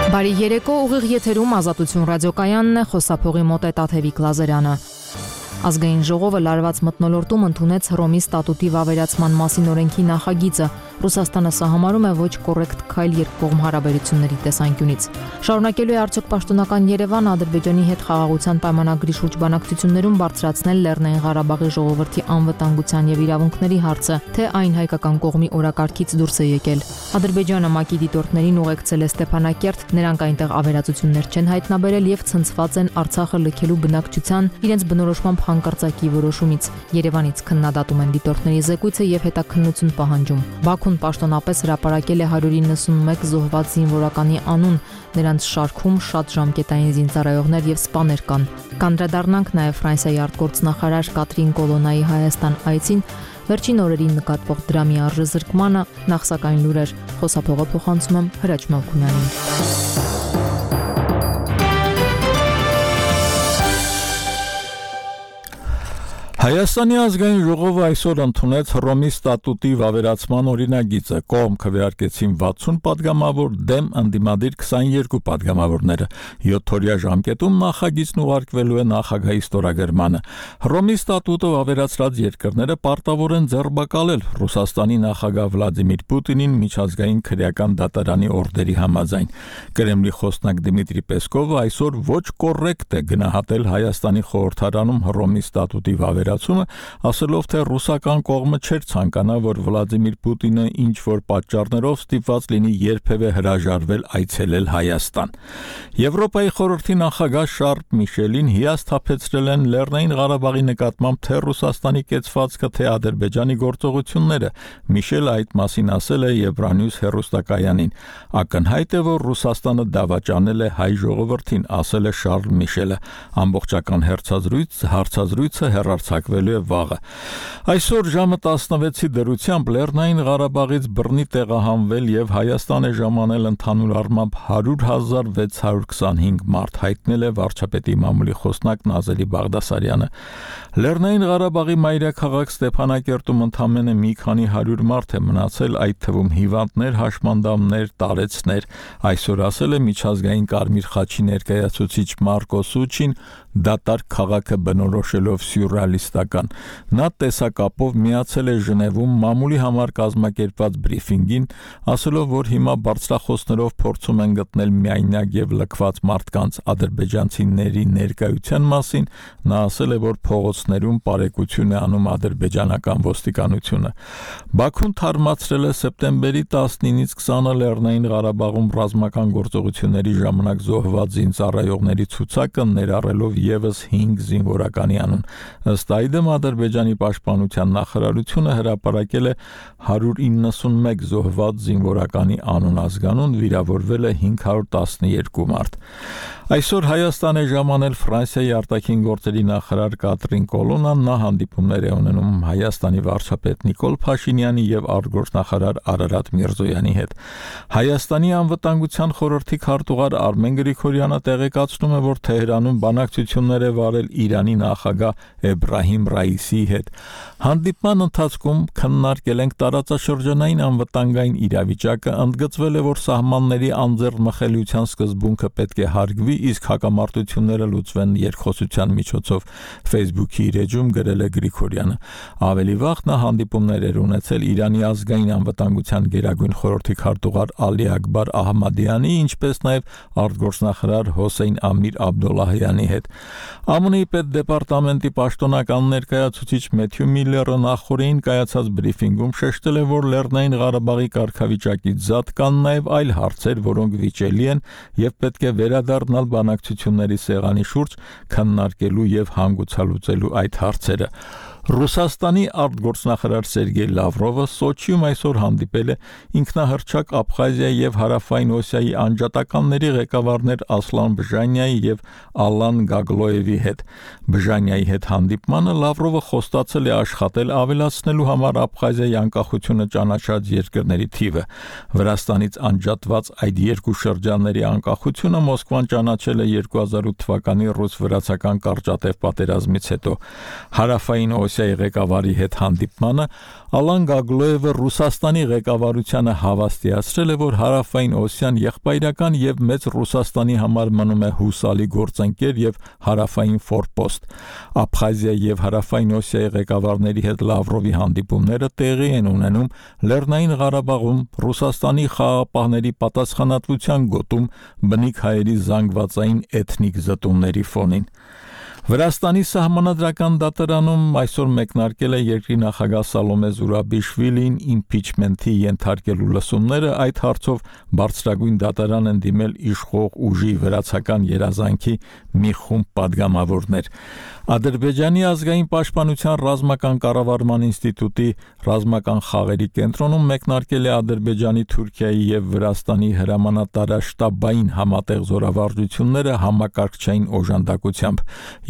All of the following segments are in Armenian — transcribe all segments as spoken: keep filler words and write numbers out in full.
Բարի երեկո, ուղիղ եթերում Ազատություն ռադիոկայանն է, խոսափողի մոտ է Տաթևիկ Լազարյանը։ Ազգային ժողովը լարված մթնոլորտում ընդունեց Հռոմի ստատուտի վավերացման մասին օրենքի նախագիծը։ Ռուսաստանը սահմանում է ոչ կոռեկտ քայլ երկկողմ հարաբերությունների տեսանկյունից։ Շարունակելու է արդյոք պաշտոնական Երևանը Ադրբեջանի հետ խաղաղության պայմանագրի շուրջ բանակցություններում բարձրացնել Լեռնային Ղարաբաղի ժողովրդի անվտանգության եւ իրավունքների հարցը, թե այն հայկական կողմի օրակարգից դուրս է եկել։ Ադրբեջանը ՄԱԿ-ի դիտորդներին ուղեկցել է Ստեփանակերտ, նրանք այնտեղ ավերածություններ չեն հայտնաբերել եւ ցնցված են Արցախը լքելու բնակչության իրենց բնորոշմամբ հանկարծակի որոշումից։ Երևանից քննադատում են դիտորդների զեկույցը եւ հետաքննություն պահանջում։ Բաքուն պաշտոնապես հրապարակել է հարյուր իննսունմեկ զոհված զինվորականի անուն, նրանց շարքում շատ ժամկետային զինծառայողներ եւ սպաներ կան։ Կանդրադառնանք նաեւ Ֆրանսիայի արտգործնախարար Կատրին Կոլոնայի Հայաստան այցին, վերջին օրերին նկատվող դրամի արժեզրկմանը, նախ սակայն լուրեր, խոսափողը փոխանցում եմ Հրաչ Մալքունյանին։ Հայաստանի ազգային ժողովը այսօր ընդունեց Հռոմի ստատուտի վավերացման օրինագիծը, կողմ քվեարկեցին վաթսուն պատգամավոր, դեմ ընդդիմադիր քսաներկու պատգամավորները։ յոթօրյա ժամկետում նախագիծն ուղարկվելու է նախագահի ստորագրմանը։ Հռոմի ստատուտը վավերացրած երկրները պարտավոր են ձեռբակալել Ռուսաստանի նախագահ Վլադիմիր Պուտինին միջազգային քրեական դատարանի օրդերի համաձայն։ Կրեմլի խոսնակ Դմիտրի Պեսկովը այսօր ոչ կոռեկտ է գնահատել Հայաստանի խորհրդարանում Հռոմի ստատուտի վավերացումը, ասելով, թե ռուսական կողմը չէր ցանկանա, որ Վլադիմիր Պուտինը ինչ որ պատճառներով ստիպված լինի երբևէ հրաժարվել այցելել Հայաստան։ Եվրոպայի խորհրդի նախագահ Շարլ Միշելին հիասթափեցրել են Լեռնային Ղարաբաղի նկատմամբ թե Ռուսաստանի կեցվածքը, թե Ադրբեջանի գործողությունները։ Միշելը այդ մասին ասել է Եվրանյուս հեռուստակայանին։ Ակնհայտ է, որ Ռուսաստանը դավաճանել է հայ ժողովրդին, ասել է Շարլ Միշելը։ Ամբողջական հարցազրույց հարցազրույցը հեռարձակվելու է վաղը։ Այսօր ժամը տասնվեցի դրությամբ Լեռնային Ղարաբաղից բռնի տեղահանվել եւ Հայաստան է ժամանել ընդհանուր առմամբ հարյուր հազար վեց հարյուր քսանհինգ մարդ, հայտնել է վարչապետի մամուլի խոսնակ Նազելի Բաղդասարյանը։ Լեռնային Ղարաբաղի մայրաքաղաք Ստեփանակերտում ընդամենը մի քանի հարյուր մարդ է մնացել, այդ թվում հիվանդներ, հաշմանդամներ, տարեցներ, այսօր ասել է միջազգային Կարմիր խաչի ներկայացուցիչ Մարկո Սուչին, դատարկ քաղաքը բնորոշելով սյուրռեալիստական։ Նա տեսակապով միացել է Ժնևում մամուլի համար կազմակերպված բրիֆինգին, ասելով, որ հիմա բարձրախոսներով փորձում են գտնել միայնակ եւ լքված մարդկանց ադրբեջանցիների ներկայության մասին, նա ասել է, որ փողոցներում բարեկություն է անում ադրբեջանական ոստիկանությունը։ Բաքուն թարմացրել է սեպտեմբերի տասնինից քսանը Լեռնային Ղարաբաղում ռազմական գործողությունների ժամանակ զոհված զինծառայողների ցուցակը, ներառելով եւս հինգ զինվորականի անուն։ Ըստ այդմ Ադրբեջանի պաշտպանության նախարարությունը հրապարակել է հարյուր իննսունմեկ զոհված զինվորականի անուն ազգանուն, վիրավորվել է հինգ հարյուր տասնյոթ մարդ։ Այսօր Հայաստան է ժամանել Ֆրանսիայի արտաքին գործերի նախարար Կատրին Կոլոնան, նա հանդիպումներ է ունենում Հայաստանի վարչապետ Նիկոլ Փաշինյանի եւ արտգործնախարար Արարատ Միրզոյանի հետ։ Հայաստանի անվտանգության խորհրդի քարտուղար Արմեն Գրիգորյանը տեղեկացնում է, որ Թեհրանում բանակցություններ է վարել Իրանի նախագահ Էբրահիմ Ռայիսիի հետ։ Հանդիպման ընթացքում քննարկել ենք տարածաշրջանային անվտանգային իրավիճակը, ընդգծվել է, որ սահմանների անձեռնմխելիության սկզբունքը պետք է հարգվի, իսկ հակամարտությունները լուծվեն երկխոսության միջոցով, Facebook-ի իր էջում գրել է Գրիգորյանը։ Ավելի վաղ նա հանդիպումներ էր ունեցել Իրանի ազգային անվտանգության գերագույն խորհրդի քարտուղար Ալի Ակբար Ահմադյանի, ինչպես նաև արտգործնախարար Հոսեյն Ամիր Աբդոլլահյանի հետ։ ԱՄՆ-ի պետդեպարտամենտի պաշտոնական ներկայացուցիչ Մեթյու Միլլերը նախորդին կայացած բրիֆինգում շեշտել է, որ Լեռնային Ղարաբաղի կարգավիճակից զատ կան նաև այլ հարցեր, որոնք վիճելի են եւ պետք է վերադառնալ բանակցությունների սեղանի շուրջ, քննարկելու եւ հանգուցալուծելու այդ հարցերը։ Ռուսաստանի արտգործնախարար Սերգեյ Լավրովը Սոչիում այսօր հանդիպել է ինքնահռչակ Աբխազիայի եւ Հարավային Օսիայի անջատականների ղեկավարներ Ասլան Բժանյայի եւ Ալան Գագլոևի հետ։ Բժանյայի հետ հանդիպմանը Լավրովը խոստացել է աշխատել ավելացնելու համար Աբխազիայի անկախությունը ճանաչած երկրների թիվը։ Վրաստանից անջատված այդ երկու շրջանների անկախությունը Մոսկվան ճանաչել է երկու հազար ութ թվականի ռուս-վրացական կարճատև պատերազմից հետո։ Հարավային Օսիայի ղեկավարի հետ հանդիպմանը, Ալան Գագլոևը Ռուսաստանի ղեկավարությանը հավաստիացրել է, որ Հարավային Օսիան եղբայրական եւ մեծ Ռուսաստանի համար մնում է հուսալի գործընկեր եւ հարավային ֆորպոստ։ Աբխազիա եւ Հարավային Օսիայի ղեկավարների հետ Լավրովի հանդիպումները տեղի են ունենում Լեռնային Ղարաբաղում Ռուսաստանի խաղաղապահների պատասխանատվության գոտում բնիկ հայերի զանգվածային էթնիկ զտումների ֆոնին։ Վրաստանի սահմանադրական դատարանում այսօր մեկնարկել է երկրի նախագահ Սալոմե Զուրաբիշվիլին իմպիչմենթի ենթարկելու լսումները, այդ հարցով բարձրագույն դատարան են դիմել իշխող ուժի վրացական երազանքի մի խումբ падգամավորներ։ Ադրբեջանի ազգային պաշտպանության ռազմական կառավարման ինստիտուտի ռազմական խաղերի կենտրոնում մեկնարկել է Ադրբեջանի, Թուրքիայի եւ Վրաստանի հրամանատարաշտաբային համատեղ զորավարժությունները համակարգչային օժանդակությամբ։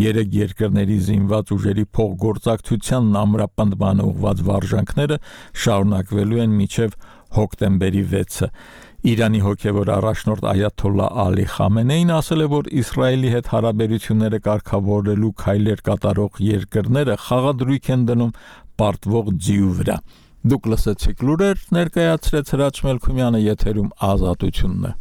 Երեք երկրների զինված ուժերի փոխգործակցությանն ամրապնդման ուղղված վարժանքները շարունակվելու են մինչև հոկտեմբերի վեցը։ Իրանի հոգևոր առաջնորդ Այաթոլլա Ալի Խամենեին ասել է, որ Իսրայելի հետ հարաբերությունները կարգավորելու քայլեր կատարող երկրները խաղադրույք են դնում պարտվող ձիու վրա։ Դուք լսեցիք լուրեր, ներկայացրեց Հրաչ Մելքումյանը, եթերում Ազատությունն է։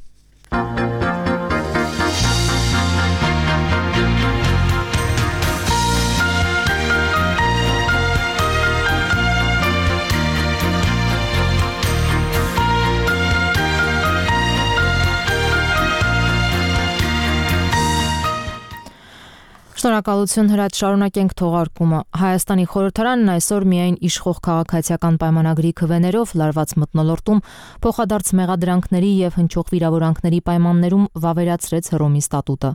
Շնորհակալություն Հրաչ, շարունակենք թողարկումը։ Հայաստանի խորհրդարանն այսօր միայն իշխող քաղաքացիական պայմանագրի քվեներով լարված մթնոլորտում փոխադարձ մեղադրանքների եւ հնչող վիրավորանքների պայմաններում վավերացրեց Հռոմի ստատուտը։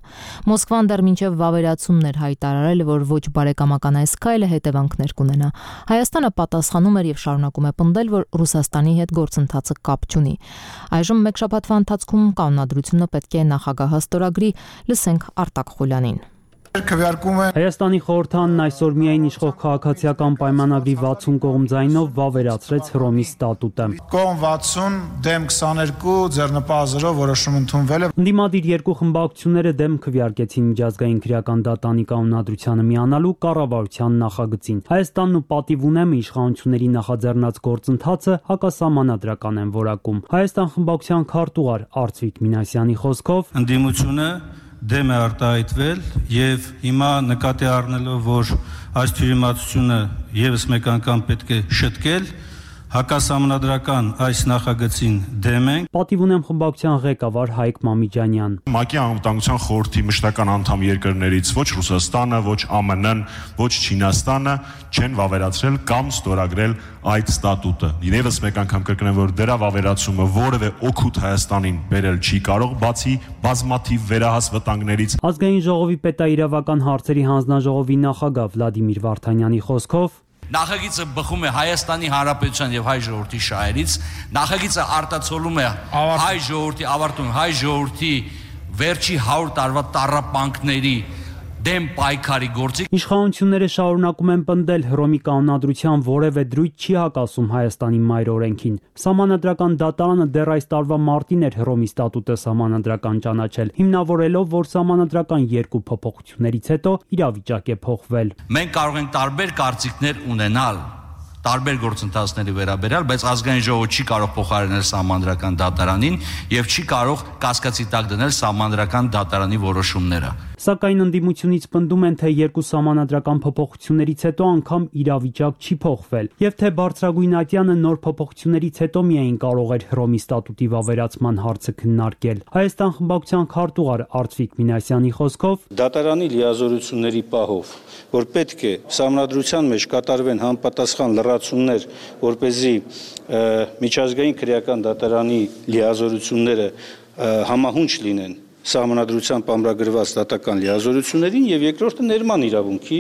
Մոսկվան դեռ մինչև վավերացումն էր հայտարարել, որ ոչ բարեկամական այս քայլը հետևանքներ կունենա։ Հայաստանը պատասխանում էր եւ շարունակում է պնդել, որ Ռուսաստանի հետ գործընթացը կապ չունի։ Այժմ մեկ շաբաթվա ընթացքում կանոնադրությունը պետք է նախագահը ստորագրի, լսենք Արտակ Խուլյանին։ Հայաստանի խորհրդարանն այսօր միայն իշխող քաղաքացիական պայմանագրի վաթսուն կողմ ձայնով վավերացրեց Հռոմի ստատուտը։ Կողմ վաթսուն, դեմ քսաներկու, ձեռնպահ որոշում ընդունվել է։ Ընդդիմադիր երկու խմբակցությունները դեմ քվեարկեցին միջազգային քրեական դատանի կանոնադրությանը միանալու կառավարության նախագծին։ Հայաստանն ու պատիվ ունեմը իշխանությունների նախաձեռնած գործընթացը հակասահմանադրական են որակում։ Հայաստան խմբակցության քարտուղար Արծվիկ Մինասյանի խոսքով ընդդիմությունը դեմ է արտահայտվել եւ հիմա նկատի առնելով, որ այս թյուրիմացությունը եւս մեկ անգամ պետք է շտկել, հակասահմանադրական այս նախագծին դեմ ենք։ Պատիվ ունեմ խմբակցության ղեկավար Հայկ Մամիջանյան։ ՄԱԿ-ի անվտանգության խորհրդի մշտական անդամ երկրներից ոչ Ռուսաստանը, ոչ ԱՄՆ-ն, ոչ Չինաստանը չեն վավերացրել կամ ստորագրել այդ ստատուտը։ Եվս մեկ անգամ կրկնեմ, որ դրա վավերացումը որևէ օգուտ Հայաստանին բերել չի կարող, բացի բազմաթիվ վերահաս վտանգներից։ Ազգային ժողովի պետաիրավական հարցերի հանձնաժողովի նախագահ Վլադիմիր Վարդանյանի խոսքով Նախագիծը բխում է Հայաստանի Հանրապետության եւ հայ ժողովրդի շահերից, նախագիծը արտացոլում է հայ ժողովրդի ավարտում հայ ժողովրդի վերջի հարյուր տարվա տառապանքների դեմ պայքարի գործի։ Իշխանությունները շարունակում են պնդել Հռոմի կանոնադրության որևէ դրույթ չի հակասում Հայաստանի մայր օրենքին։ Սահմանադրական դատարանը դեռ այս տարվա մարտին էր Հռոմի ստատուտը սահմանադրական ճանաչել, հիմնավորելով, որ սահմանադրական երկու փոփոխություններից հետո իրավիճակ է փոխվել։ Մենք կարող ենք տարբեր կարծիքներ ունենալ տարբեր գործընթացների վերաբերյալ, բայց ազգային ժողովը չի կարող փոխարինել սահմանադրական դատարանին եւ չի կարող կասկածի տակ դնել սահմանադրական դատարանի որոշումները։ Սակայն ընդդիմությունից պնդում են, թե երկու սահմանադրական փոփոխություններից հետո անգամ իրավիճակ չի փոխվել, եւ թե բարձրագույն ատյանը նոր փոփոխություններից հետո միայն կարող էր Հռոմի ստատուտի վավերացման հարցը քննարկել։ Հայաստան խմբակցության քարտուղար Արծվիկ Մինասյանի խոսքով դատարանի լիազորությունների պահով, որ պետք է սահմանադրության մեջ կատարվեն համապատասխան լրացումներ, որպեսզի միջազգային քրեական դատարանի լիազորությունները համահունչ լինեն սահմանադրությամբ ամրագրված դատական լիազորություններին եւ երկրորդը ներման իրավունքի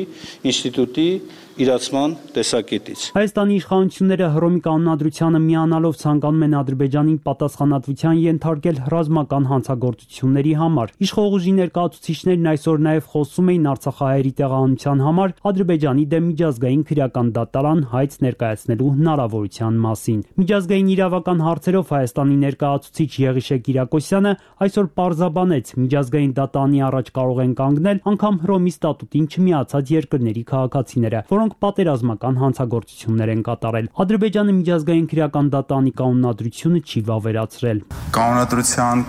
ինստիտուտի իրացման տեսակետից։ Հայաստանի իշխանությունները Հռոմի կանոնադրությանը միանալով ցանկանում են Ադրբեջանին պատասխանատվության ենթարկել ռազմական հանցագործությունների համար։ Իշխող ուժի ներկայացուցիչներն այսօր նաեւ խոսում էին Արցախահայերի տեղահանության համար Ադրբեջանի դեմ միջազգային քրեական դատարան հայց ներկայացնելու հնարավորության մասին։ Միջազգային իրավական հարցերով Հայաստանի ներկայացուցիչ Եղիշե Կիրակոսյանը այսօր պարզաբանել սահմանեց միջազգային դատարանի առաջ կարող են կանգնել անգամ Հռոմի ստատուտին չմիացած երկրների քաղաքացիները, որոնք պատերազմական հանցագործություններ են կատարել։ Ադրբեջանը միջազգային քրեական դատարանի կանոնադրությունը չի վավերացրել։ Կանոնադրության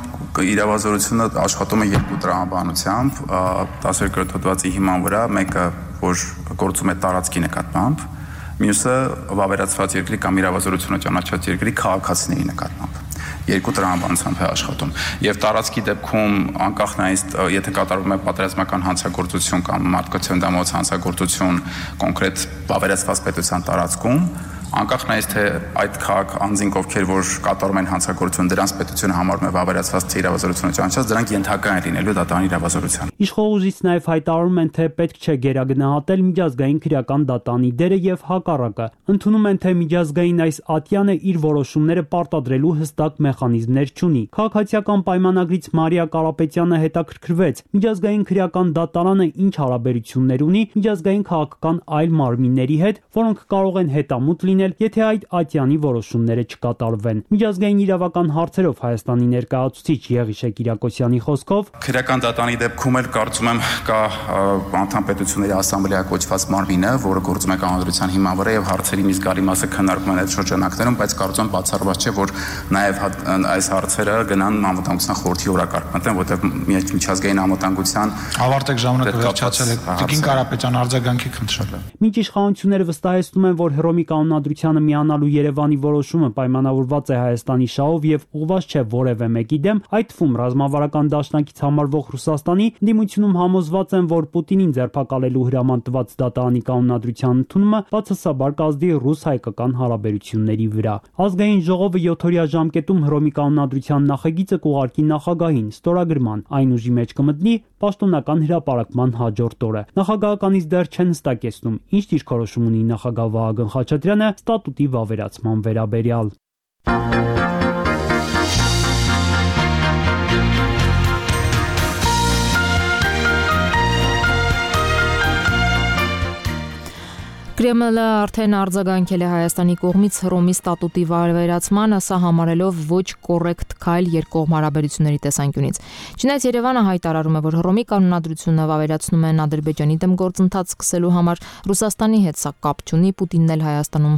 իրավազորությունը աշխատում է երկու տրամաբանությամբ, տասներկրորդ հոդվածի հիման վրա, մեկը որ գործում է տարածքի նկատմամբ, մյուսը վավերացված երկրի կամ իրավազորությունը ճանաչած երկրի քաղաքացիների նկատմամբ։ Երկու տրամաբանությամբ է աշխատում։ Եվ տարածքի դեպքում անկախ նայից, եթե կատարվում է պատերազմական հանցագործություն կամ մարդկության դամոց հանցագործություն կոնկրետ վավերացված պետության տարածքում, անկախ նայից թե այդ քաղաք անձինք ովքեր որ կատարում են հանցագործություն, դրանց պետությունը համարում է վավերացված թե իրավազորությունը ճանաչած, դրանք ենթակա են լինելու դատարանի իրավազորության։ Իշխողուժից նաև հայտարարում են, թե պետք չէ գերագնահատել միջազգային քրեական դատարանի դերը եւ հակառակը։ Ընդունում են, թե միջազգային այս ատյանը իր որոշումները պարտադրելու հստակ մեխանիզմներ չունի։ Քաղաքացիական պայմանագրից Մարիա Կարապետյանը հետաքրքրվեց. միջազգային քրեական դատարանը ինչ հարաբերություններ ունի միջազգային քաղաքական այլ մարմինների հետ, որոնք կարող են հետամուտ լինել, եթե այդ ատյանի որոշումները չկատարվեն։ Միջազգային իրավական հարցերով Հայաստանի ներկայացուցիչ Եղիշե Կիրակոսյանի խոսքով քրեական դատարանի դեպքում էլ կարծում եմ կա անդամ պետությունների ասամբլեա կոչված մարմինը, որը գործում է կանոնադրության հիման վրա եւ հարցերի մի զգալի մասը քննարկվում են այդ շրջանակներում, բայց կարծում եմ բացառված չէ, որ նաեւ այս հարցերը գնան անվտանգության խորհրդի օրակարգ մտնեն, որտեղ միջազգային անվտանգության ավարտեք ժամանակը վերջացել է։ Տիկին Կարապետյան արձագանքի խնդրել է։ Մինչ իշխանությունները վստահեցնում են, որ Հռոմի կանոնադրությանը միանալու Երևանի որոշումը պայմանավորված է Հայաստանի շահով եւ ուղղված չէ որևէ մեկի դեմ, այդ թվում ռազմավարական դաշնակից համարվող Ռուսաստանի դիմությունում համոզված են, որ Պուտինին ձերբակալելու հրաման տված դատարանի կանոնադրության ընդունումը բացասաբար կազդի ռուս-հայկական հարաբերությունների վրա։ Ազգային ժողովը յոթօրյա ժամկետում Հռոմի կանոնադրության նախագիծը կուղարկի նախագահին ստորագրման, այն ուժի մեջ կմտնի պաշտոնական հրապարակման հաջորդ օրը։ Նախագահականից դեռ չեն հստակեցնում, ինչ դիրքորոշում ունի նախագահ Վահագն Խաչատրյանը ստատուտի վավերացման վերաբերյալ։ Կրեմլը արդեն արձագանքել է Հայաստանի կողմից Հռոմի ստատուտի վավերացմանը, սա համարելով ոչ կոռեկտ քայլ երկկողմ հարաբերությունների տեսանկյունից։ Չնայած Երևանը հայտարարում է, որ Հռոմի կանոնադրությունը վավերացնում են Ադրբեջանի դեմ գործընթաց սկսելու համար, Ռուսաստանի հետ սա կապ չունի, Պուտինն էլ Հայաստանում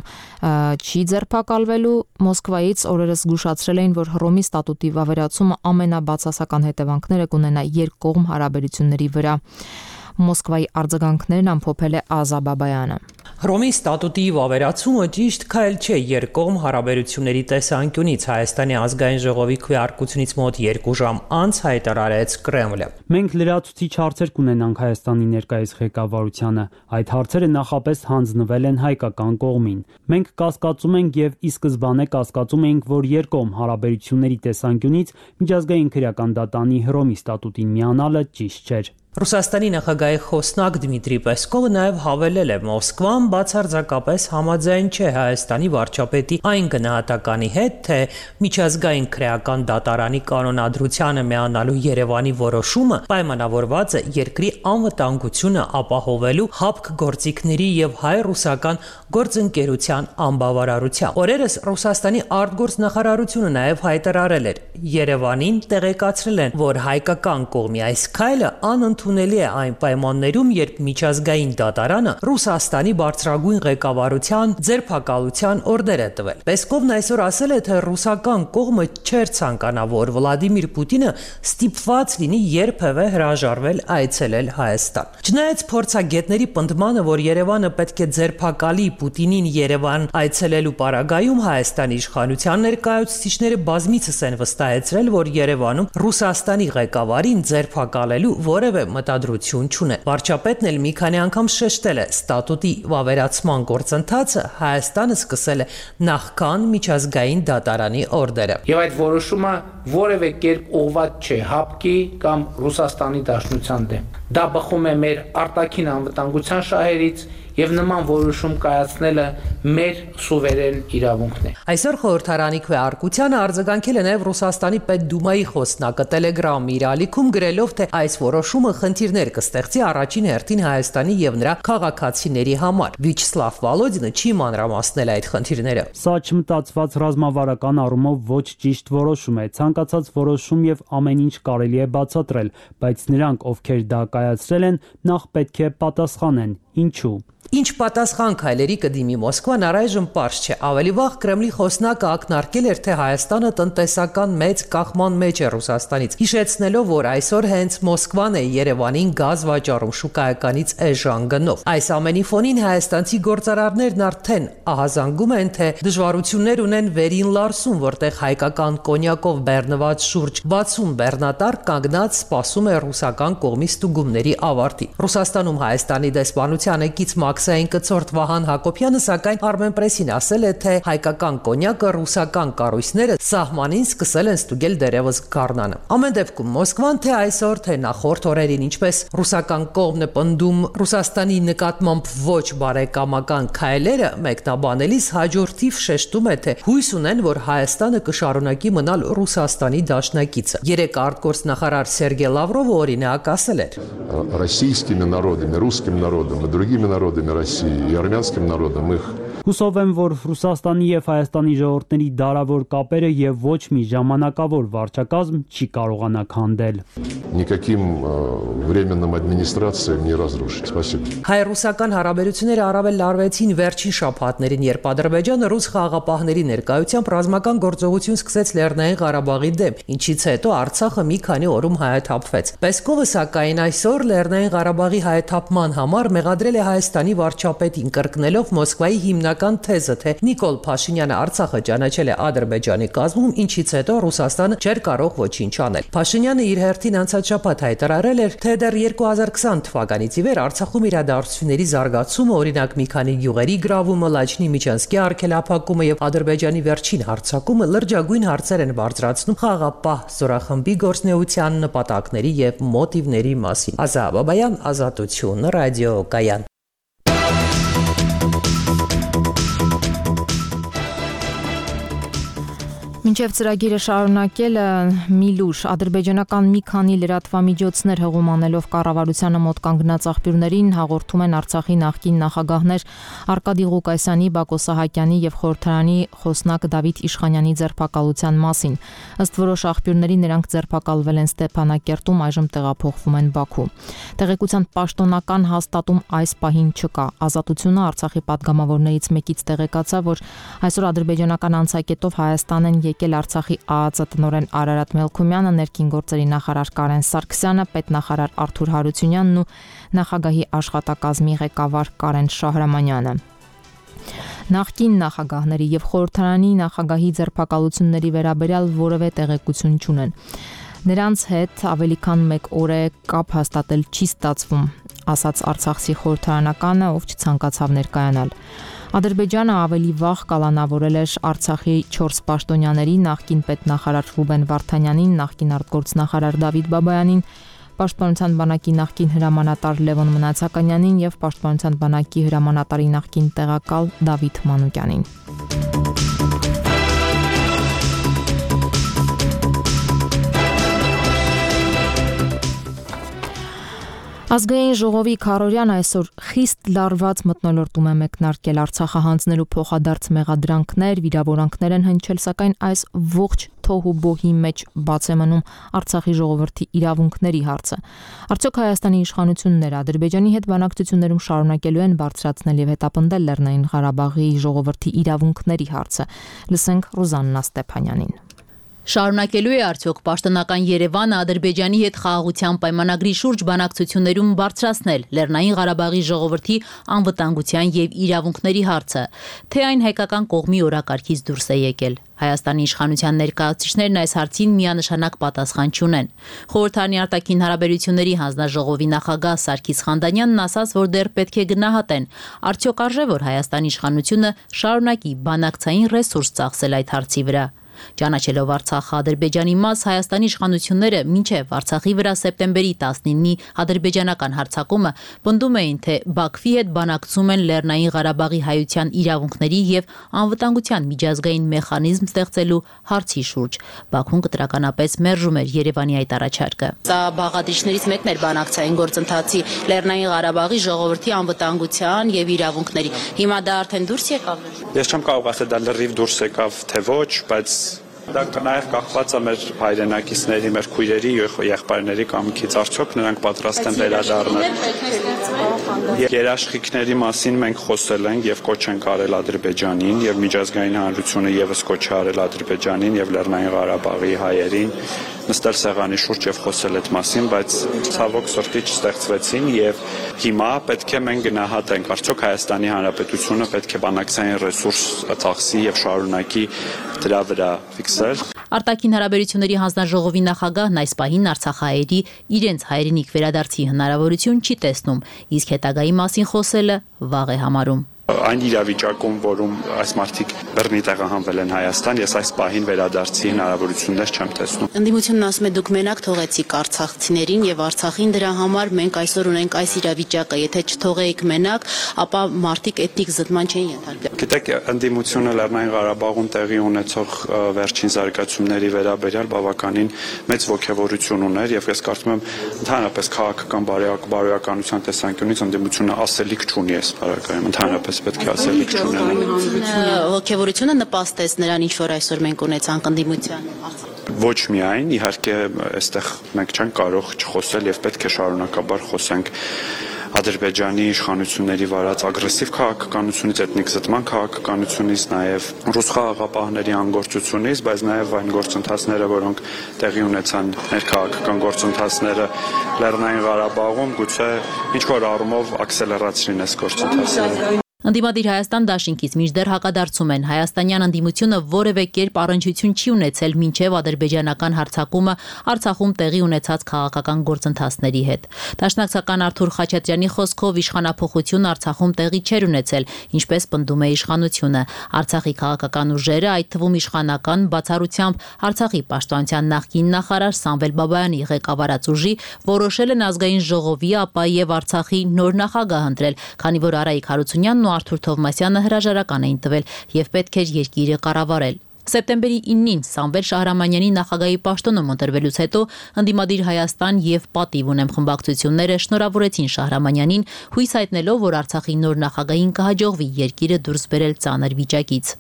չի ձերբակալվելու։ Մոսկվայից օրերս զգուշացրել էին, որ Հռոմի ստատուտի վավերացումը ամենաբացասական հետևանքները կունենա երկկողմ հարաբերությունների վրա։ Մոսկվայի արձագանքներն ամփոփել է Ազա Բաբայանը։ Հռոմի ստատուտի վավերացումը ճիշտ քայլ չէ երկկողմ հարաբերությունների տեսանկյունից, Հայաստանի ազգային ժողովի քվեարկությունից մոտ երկու ժամ անց հայտարարեց Կրեմլը։ Մենք լրացուցիչ հարցեր կունենանք Հայաստանի ներկայիս ղեկավարությանը։ Այդ հարցերը նախապես հանձնվել են հայկական կողմին։ Մենք կասկածում ենք եւ ի սկզբանե կասկածում էինք, որ երկկողմ հարաբերությունների տեսանկյունից միջազգային քրեական դատարանի Հռոմի ստատուտին միանալը ճիշտ չէր։ Ռուսաստանի նախագահի խոսնակ Դմիտրի Պեսկովը նաև հավելել է, Մոսկվան բացարձակապես համաձայն չէ Հայաստանի վարչապետի այն գնահատականի հետ, թե միջազգային քրեական դատարանի կանոնադրությանը միանալու Երևանի որոշումը պայմանավորված է երկրի անվտանգությունը ապահովելու հապկ գործիքների եւ հայ-ռուսական գործընկերության անբավարարությամբ։ Օրերս Ռուսաստանի արտգործնախարարությունը նաև հայտարարել էր, Երևանին տեղեկացրել են, որ հայկական կողմի այս քայլը անընդունելի է այն պայմաններում, երբ միջազգային դատարանը Ռուսաստանի բարձրագույն ղեկավարության ձերբակալության օրդեր է տվել։ Պեսկովն այսօր ասել է, թե ռուսական կողմը չէր ցանկանա, որ Վլադիմիր Պուտինը ստիպված լինի երբևէ հրաժարվել այցելել Հայաստան։ Չնայած փորձագետների պնդմանը, որ Երևանը պետք է ձերբակալի Պուտինին Երևան այցելելու պարագայում, Հայաստանի իշխանության ներկայացուցիչները բազմիցս են վստահեցրել, որ Երևանում Ռուսաստանի ղեկավարին ձերբակալելու որևէ մտադրություն չունեն։ Վարչապետն էլ մի քանի անգամ շեշտել է, ստատուտի վավերացման գործընթացը Հայաստանը սկսել է նախքան միջազգային դատարանի օրդերը։ Եվ այդ որոշումը որևէ կերպ ուղղված չէ ՀԱՊԿ-ի կամ Ռուսաստանի Դաշնության դեմ։ Դա բխում է մեր արտաքին անվտանգության շահերից եւ նման որոշում կայացնելը մեր սուվերեն իրավունքն է։ Այսօր խորհրդարանի քվեարկությանը արձագանքել է նաեւ Ռուսաստանի Պետդումայի խոսնակը Telegram իր ալիքում գրելով, թե այս որոշումը խնդիրներ կստեղծի առաջին հերթին Հայաստանի եւ նրա քաղաքացիների համար։ Վիչսլավ Վալոդինը չի մանրամասնել այդ խնդիրները։ Սա չմտածված ռազմավարական առումով ոչ ճիշտ որոշում է։ Ցանկացած որոշում եւ ամեն ինչ կարելի է բացատրել, բայց նրանք, ովքեր դա կայացրել են, նախ պետք է պատասխանեն։ Ինչու՞։ Ինչ պատասխան քայլերի կդիմի Մոսկվան առայժմ պարզ չէ։ Ավելի վաղ Կրեմլի խոսնակը ակնարկել էր, թե Հայաստանը տնտեսական մեծ կախման մեջ է Ռուսաստանից, հիշեցնելով, որ այսօր հենց Մոսկվան է Երևանին գազ վաճառում շուկայականից էժան գնով։ Այս ամենի ֆոնին հայաստանցի գործարարներն արդեն ահազանգում են, թե դժվարություններ ունեն վերին Լարսում, որտեղ հայկական կոնյակով բեռնված շուրջ վաթսուն բեռնատար կանգնած սպասում է ռուսական կողմի ստուգումների ավարտի։ Ռուսաստանում Հայաստանի դեսպանությանը կից Մաքսային կցորդ Վահան Հակոբյանը սակայն Armenpress-ին ասել է, թե հայկական կոնյակը ռուսական կառույցները սահմանին սկսել են ստուգել դերևս գարնանը։ Ամեն դեպքում Մոսկվան թե այսօր, թե նախորդ օրերին, ինչպես ռուսական կողմն է պնդում Ռուսաստանի նկատմամբ ոչ բարեկամական քայլերը մեկնաբանելիս հաջորդիվ շեշտում է, թե հույս ունեն, որ Հայաստանը կշարունակի մնալ Ռուսաստանի դաշնակիցը։ Երեք արտգործնախարար Սերգեյ Լավրովը օրինակ ասել էր. Российскими народами, русским народом и другими народами России и армянским народом их Հուսով եմ, որ Ռուսաստանի եւ Հայաստանի ժողովուրդների դարավոր կապերը եւ ոչ մի ժամանակավոր վարչակազմ չի կարողանա քանդել։ Никаким временным администрациям не разрушить. Спасибо. Հայ-ռուսական հարաբերությունները առավել լարվեցին վերջին շաբաթներին, երբ Ադրբեջանը ռուս խաղաղապահների ներկայությամբ ռազմական գործողություն սկսեց Լեռնային Ղարաբաղի դեմ, ինչից հետո Արցախը մի քանի օրում հայաթափվեց։ Պեսկովը սակայն այսօր Լեռնային Ղարաբաղի հայաթափման համար մեղադրել է Հայաստանի վարչապետին, կրկնելով Մոսկվայի հիմնական թեզը, թե Նիկոլ Փաշինյանը Արցախը ճանաչել է Ադրբեջանի կազմում, ինչից հետո Ռուսաստանը չէր կարող ոչինչ անել։ Փաշինյանը իր հերթին անցած շաբաթ հայտարարել էր, թե դեռ երկու հազար քսան թվականից ի վեր Արցախում իրադարձությունների զարգացումը, օրինակ մի քանի գյուղերի գրավումը, Լաչինի Միչանսկի արգելափակումը եւ Ադրբեջանի վերջին հարձակումը լրջագույն հարցեր են բարձրացնում խաղաղապահ զորախմբի գործնեության նպատակների եւ մոտիվների մասին։ Ազա Բաբայան, Ազատություն, ռադիո Կայան։ Մինչև ծրագիրը շարունակելը մի լուր ադրբեջանական մի քանի լրատվամիջոցներ հղում անելով կառավարությանը մոտ կանգնած աղբյուրներին հաղորդում են Արցախի նախկին նախագահներ Արկադի Ղուկասյանի, Բակո Սահակյանի եւ խորհրդարանի խոսնակ Դավիթ Իշխանյանի ձերբակալության մասին։ Ըստ որոշ աղբյուրների նրանք ձերբակալվել են Ստեփանակերտում, այժմ տեղափոխվում են Բաքու։ Տեղեկության պաշտոնական հաստատում այս պահին չկա։ Ազատությունը Արցախի падգամավորներից մեկից տեղեկացավ, որ այսօր ադրբեջանական անցակետով Հայաստան են եկել Արցախի ԱԱԾ տնօրեն Արարատ Մելքումյանը, ներքին գործերի նախարար Կարեն Սարգսյանը, պետնախարար Արթուր Հարությունյանն ու նախագահի աշխատակազմի ղեկավար Կարեն Շահրամանյանը։ Նախկին նախագահների եւ խորհրդարանի նախագահի ձերբակալությունների վերաբերյալ որևէ տեղեկություն չունեն։ Նրանց հետ ավելի քան մեկ օր է կապ հաստատել չի ստացվում, ասաց Արցախցի խորհրդարանականը, ով չցանկացավ ներկայանալ։ Ադրբեջանը ավելի վաղ կալանավորել էր Արցախի չորս պաշտոնյաների, նախկին պետնախարար Ռուբեն Վարդանյանին, նախկին արտգործնախարար Դավիթ Բաբայանին, Պաշտպանության բանակի նախկին հրամանատար Լևոն Մնացականյանին եւ Պաշտպանության բանակի հրամանատարի նախկին տեղակալ Դավիթ Մանուկյանին։ Ազգային ժողովի քարորյան այսօր խիստ լարված մթնոլորտում է մեկնարկել Արցախը հանձնելու փոխադարձ մեղադրանքներ, վիրավորանքներ են հնչել, սակայն այս ողջ թոհուբոհի մեջ բաց է մնում Արցախի ժողովրդի իրավունքների հարցը։ Արդյոք Հայաստանի իշխանությունները Ադրբեջանի հետ բանակցություններում շարունակելու են բարձրացնել եւ հետապնդել Լեռնային Ղարաբաղի ժողովրդի իրավունքների հարցը։ Լսենք Ռուզաննա Ստեփանյանին։ Շարունակելու է արդյոք պաշտոնական Երևանը Ադրբեջանի հետ խաղաղության պայմանագրի շուրջ բանակցություններում բարձրացնել Լեռնային Ղարաբաղի ժողովրդի անվտանգության եւ իրավունքների հարցը, թե այն հայկական կողմի օրակարգից դուրս է եկել։ Հայաստանի իշխանության ներկայացուցիչներն այս հարցին միանշանակ պատասխան չունեն։ Խորհրդարանի արտաքին հարաբերությունների հանձնաժողովի նախագահ Սարգիս Խանդանյանն ասաց, որ դեռ պետք է գնահատեն, արդյոք արժե որ Հայաստանի իշխանությունը շարունակի բանակցային ռեսուրս ծախսել այդ հարցի վրա։ Ճանաչելով Արցախը Ադրբեջանի մաս, Հայաստանի իշխանությունները մինչև Արցախի վրա սեպտեմբերի տասնինի ադրբեջանական հարձակումը պնդում էին, թե Բաքվի հետ բանակցում են Լեռնային Ղարաբաղի հայության իրավունքների եւ անվտանգության միջազգային մեխանիզմ ստեղծելու հարցի շուրջ։ Բաքուն կտրականապես մերժում էր Երևանի այդ առաջարկը։ Սա բաղադրիչներից մեկն էր բանակցային գործընթացի Լեռնային Ղարաբաղի ժողովրդի անվտանգության եւ իրավունքների։ Հիմա դա արդեն դուրս եկավ։ Ես չեմ կարող ասել դա լրիվ դուրս եկավ թե ոչ, բայց դա նաև կախված է մեր հայրենակիցների, մեր քույրերի եւ եղբայրների կամքից, արդյոք նրանք պատրաստ են վերադառնալ։ Երաշխիքների մասին մենք խոսել ենք եւ կոչ ենք արել Ադրբեջանին եւ միջազգային հանրությունը եւս կոչ է արել Ադրբեջանին եւ Լեռնային Ղարաբաղի հայերին նստել սեղանի շուրջ եւ խոսել այդ մասին, բայց ցավոք սրտի չստեղծվեցին եւ հիմա պետք է մենք գնահատենք, արդյոք Հայաստանի Հանրապետությունը պետք է բանակցային ռեսուրս ծախսի եւ շարունակի դրա վրա ֆիքսել։ Արտաքին հարաբերությունների հանձնաժողովի նախագահն այս պահին արցախահայերի իրենց հայրենիք վերադարձի հնարավորություն չի տեսնում, իսկ հետագայի մասին խոսելը վաղ է համարում։ Այն իրավիճակում, որում այս մարդիկ բռնի տեղահանվել են Հայաստան, ես այս պահին վերադարձի հնարավորություններ չեմ տեսնում։ Ընդդիմությունն ասում է դուք մենակ թողեցիք արցախցիներին եւ Արցախին, դրա համար մենք այսօր ունենք այս իրավիճակը, եթե չթողեիք մենակ, ապա մարդիկ էթնիկ զտման չէին ենթարկվի։ Գիտեք, ընդդիմությունը Լեռնային Ղարաբաղում տեղի ունեցող վերջին զարգացումների վերաբերյալ բավականին մեծ ոգևորություն ուներ եւ ես կարծում եմ ընդհանրապես քաղաքական բարոյականության տեսանկյունից ընդդիմությունը ասելիք չունի այս բարակայում, ընդհանրապես պետք է ասելիք չունենա։ Ոգևորությունը նպաստեց նրան, ինչ որ այսօր մենք ունեցանք ընդդիմության։ Ոչ միայն, իհարկե, այստեղ մենք չենք կարող չխոսել եւ պետք է շարունակաբար խոսենք Ադրբեջանի իշխանությունների վարած ագրեսիվ քաղաքականությունից, էթնիկ զտման քաղաքականությունից, նաև ռուս խաղաղապահների անգործությունից, բայց նաև այն գործընթացները, որոնք տեղի ունեցան ներքաղաքական գործընթացները Լեռնային Ղարաբաղում, գուցե ինչ-որ առումով աքսելերացրին այս գործընթացները։ Ընդդիմադիր Հայաստան դաշինքից մինչդեռ հակադարձում են հայաստանյան ընդդիմությունը որևէ կերպ առնչություն չի ունեցել մինչև ադրբեջանական հարձակումը Արցախում տեղի ունեցած քաղաքական գործընթացների հետ։ Դաշնակցական Արթուր Խաչատրյանի խոսքով իշխանափոխություն Արցախում տեղի չէր ունեցել, ինչպես պնդում է իշխանությունը։ Արցախի քաղաքական ուժերը, այդ թվում իշխանական, բացառությամբ Արցախի պաշտպանության նախկին նախարար Սամվել Բաբայանի ղեկավարած ուժի, որոշել են ազգային ժողովի, ապա եւ Արցախի նոր նախագահ ընտրել, քանի որ Արայիկ Հարությունյանն ու Արթուր Թովմասյանը հրաժարական էին տվել եւ պետք էր երկիրը կառավարել։ Սեպտեմբերի իննին Սամվել Շահրամանյանի նախագահի պաշտոնում ընտրվելուց հետո ընդդիմադիր Հայաստան եւ Պատիվ ունեմ խմբակցությունները շնորհավորեցին Շահրամանյանին, հույս հայտնելով, որ Արցախի նոր նախագահին կհաջողվի երկիրը դուրս բերել ծանր վիճակից։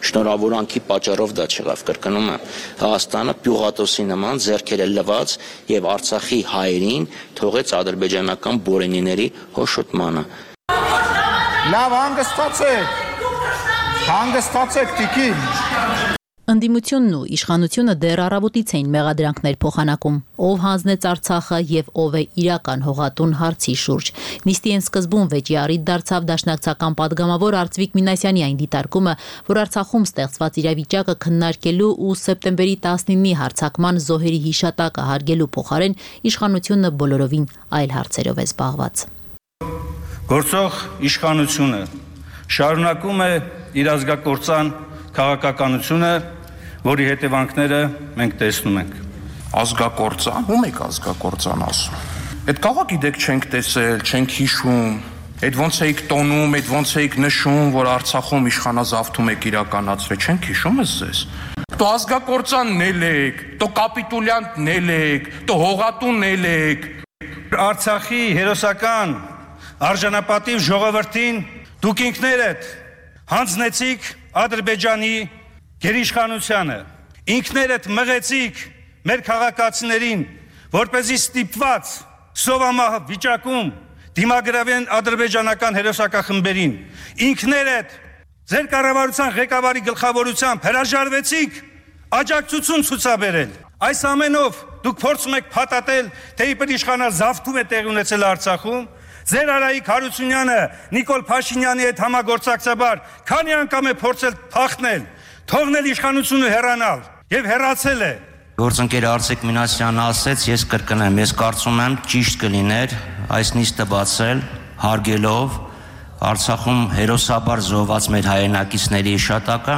Շնորհավորանքի պատճառով դա չեղավ, կրկնում եմ, Հայաստանը պյուղատոսի նման ձեռքերը լվաց եւ Արցախի հայերին թողեց ադրբեջանական բորենիների հոշոտմանը։ Լավ, հանգստացեք, հանգստացեք տիկին։ Ընդդիմությունն ու իշխանությունը դեռ առավոտից էին մեղադրանքներ փոխանակում, ով հանձնեց Արցախը եւ ով է իրական հողատուն հարցի շուրջ։ Նիստի են սկզբում վեճի առիթ դարձավ դաշնակցական падգամավոր Արծվիկ Մինասյանի այն դիտարկումը, որ Արցախում ստեղծված իրավիճակը քննարկելու ու սեպտեմբերի տասնինի հարձակման զոհերի հիշատակը հարգելու փոխարեն իշխանությունը բոլորովին այլ հարցերով է զբաղված։ Գործող իշխանությունը շարունակում է իր ազգակործան քաղաքականությունը, որի հետևանքները մենք տեսնում ենք։ Ազգակործան, ում եք ազգակործան ասում։ Այդ քաղաքի դեք չենք տեսել, չենք հիշում, այդ ոնց էիք տոնում, այդ ոնց էիք նշում, որ Արցախում իշխանազավթում եք իրականացրել, չենք հիշում ես ձեզ։ Դու ազգակործանն եք, դու կապիտուլյանտն եք, դու հողատունն եք։ Արցախի հերոսական արժանապատիվ ժողովրդին դուք ինքներդ հանձնեցիք Ադրբեջանի գերիշխանությանը, ինքներդ մղեցիք մեր քաղաքացիներին, որպեսզի ստիպված սովամահ վիճակում դիմագրավեն ադրբեջանական հերոսակախմբերին, ինքներդ ձեր կառավարության ղեկավարի գլխավորությամբ հրաժարվեցիք աջակցություն ցուցաբերել։ Այս ամենով դուք փորձում եք փաթաթել, թե իբր իշխանազավթում է տեղի ունեցել Արցախում։ Ձեր Արայիկ Հարությունյանը Նիկոլ Փաշինյանի հետ համագործակցաբար քանի անգամ է փորձել փախնել, թողնել իշխանությունը հեռանալ եւ հեռացել է։ Գործընկեր Արծվիկ Մինասյանը ասեց, ես կրկնեմ, ես կարծում եմ ճիշտ կլիներ այս նիստը բացել հարգելով Արցախում հերոսաբար զոհված մեր հայրենակիցների հիշատակը,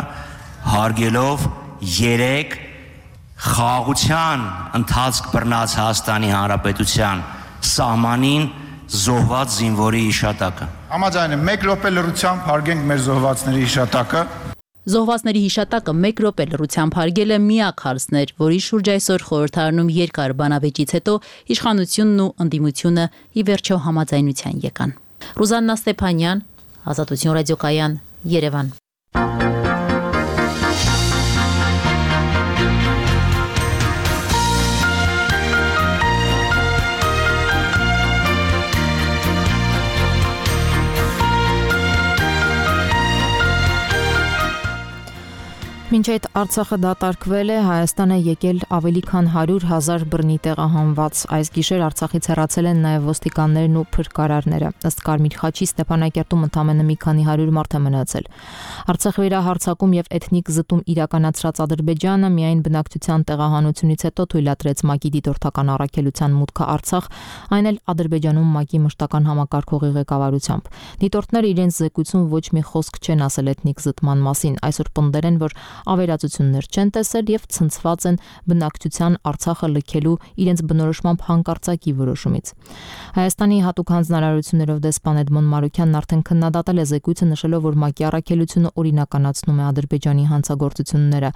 հարգելով երեք խաղաղության ընթացք բռնած Հայաստանի Հանրապետության սահմանին զոհված զինվորի հիշատակը։ Համաձայն եմ, մեկ րոպե լռությամբ հարգենք մեր զոհվածների հիշատակը։ Զոհվածների հիշատակը մեկ րոպե լռությամբ հարգելը միակ հարցն էր, որի շուրջ այսօր խորհրդարանում երկար բանավեճից հետո իշխանությունն ու ընդդիմությունը ի վերջո համաձայնության եկան։ Ռուզաննա Ստեփանյան, Ազատություն ռադիոկայան, Երևան։ Մինչ այդ Արցախը դատարկվել է, Հայաստան է եկել ավելի քան հարյուր հազար բռնի տեղահանված։ Այս գիշեր Արցախից հեռացել են նաև ոստիկաններն ու փրկարարները։ Ըստ Կարմիր խաչի Ստեփանակերտում ընդամենը մի քանի հարյուր մարդ է մնացել։ Արցախի վերահարձակում եւ էթնիկ զտում իրականացրած Ադրբեջանը միայն բնակչության տեղահանությունից հետո թույլատրեց ՄԱԿ-ի դիտորդական առաքելության մուտքը Արցախ, այն էլ Ադրբեջանում ՄԱԿ-ի մշտական համակարգողի ղեկավարությամբ։ Դիտորդները իրենց զեկույցում ոչ մի խոսք չեն ասել էթնիկ զտման մասին։ Այսօր պնդել են, որ ավերածություններ չեն տեսել եւ ցնցված են բնակչության Արցախը լքելու իրենց բնորոշմամբ հանկարծակի որոշումից։ Հայաստանի հատուկ հանձնարարություններով դեսպան Էդմոն Մարուքյանն արդեն քննադատել է զեկույցը, նշելով, որ ՄԱԿ-ի առաքելությունը օրինականացնում է Ադրբեջանի հանցագործությունները։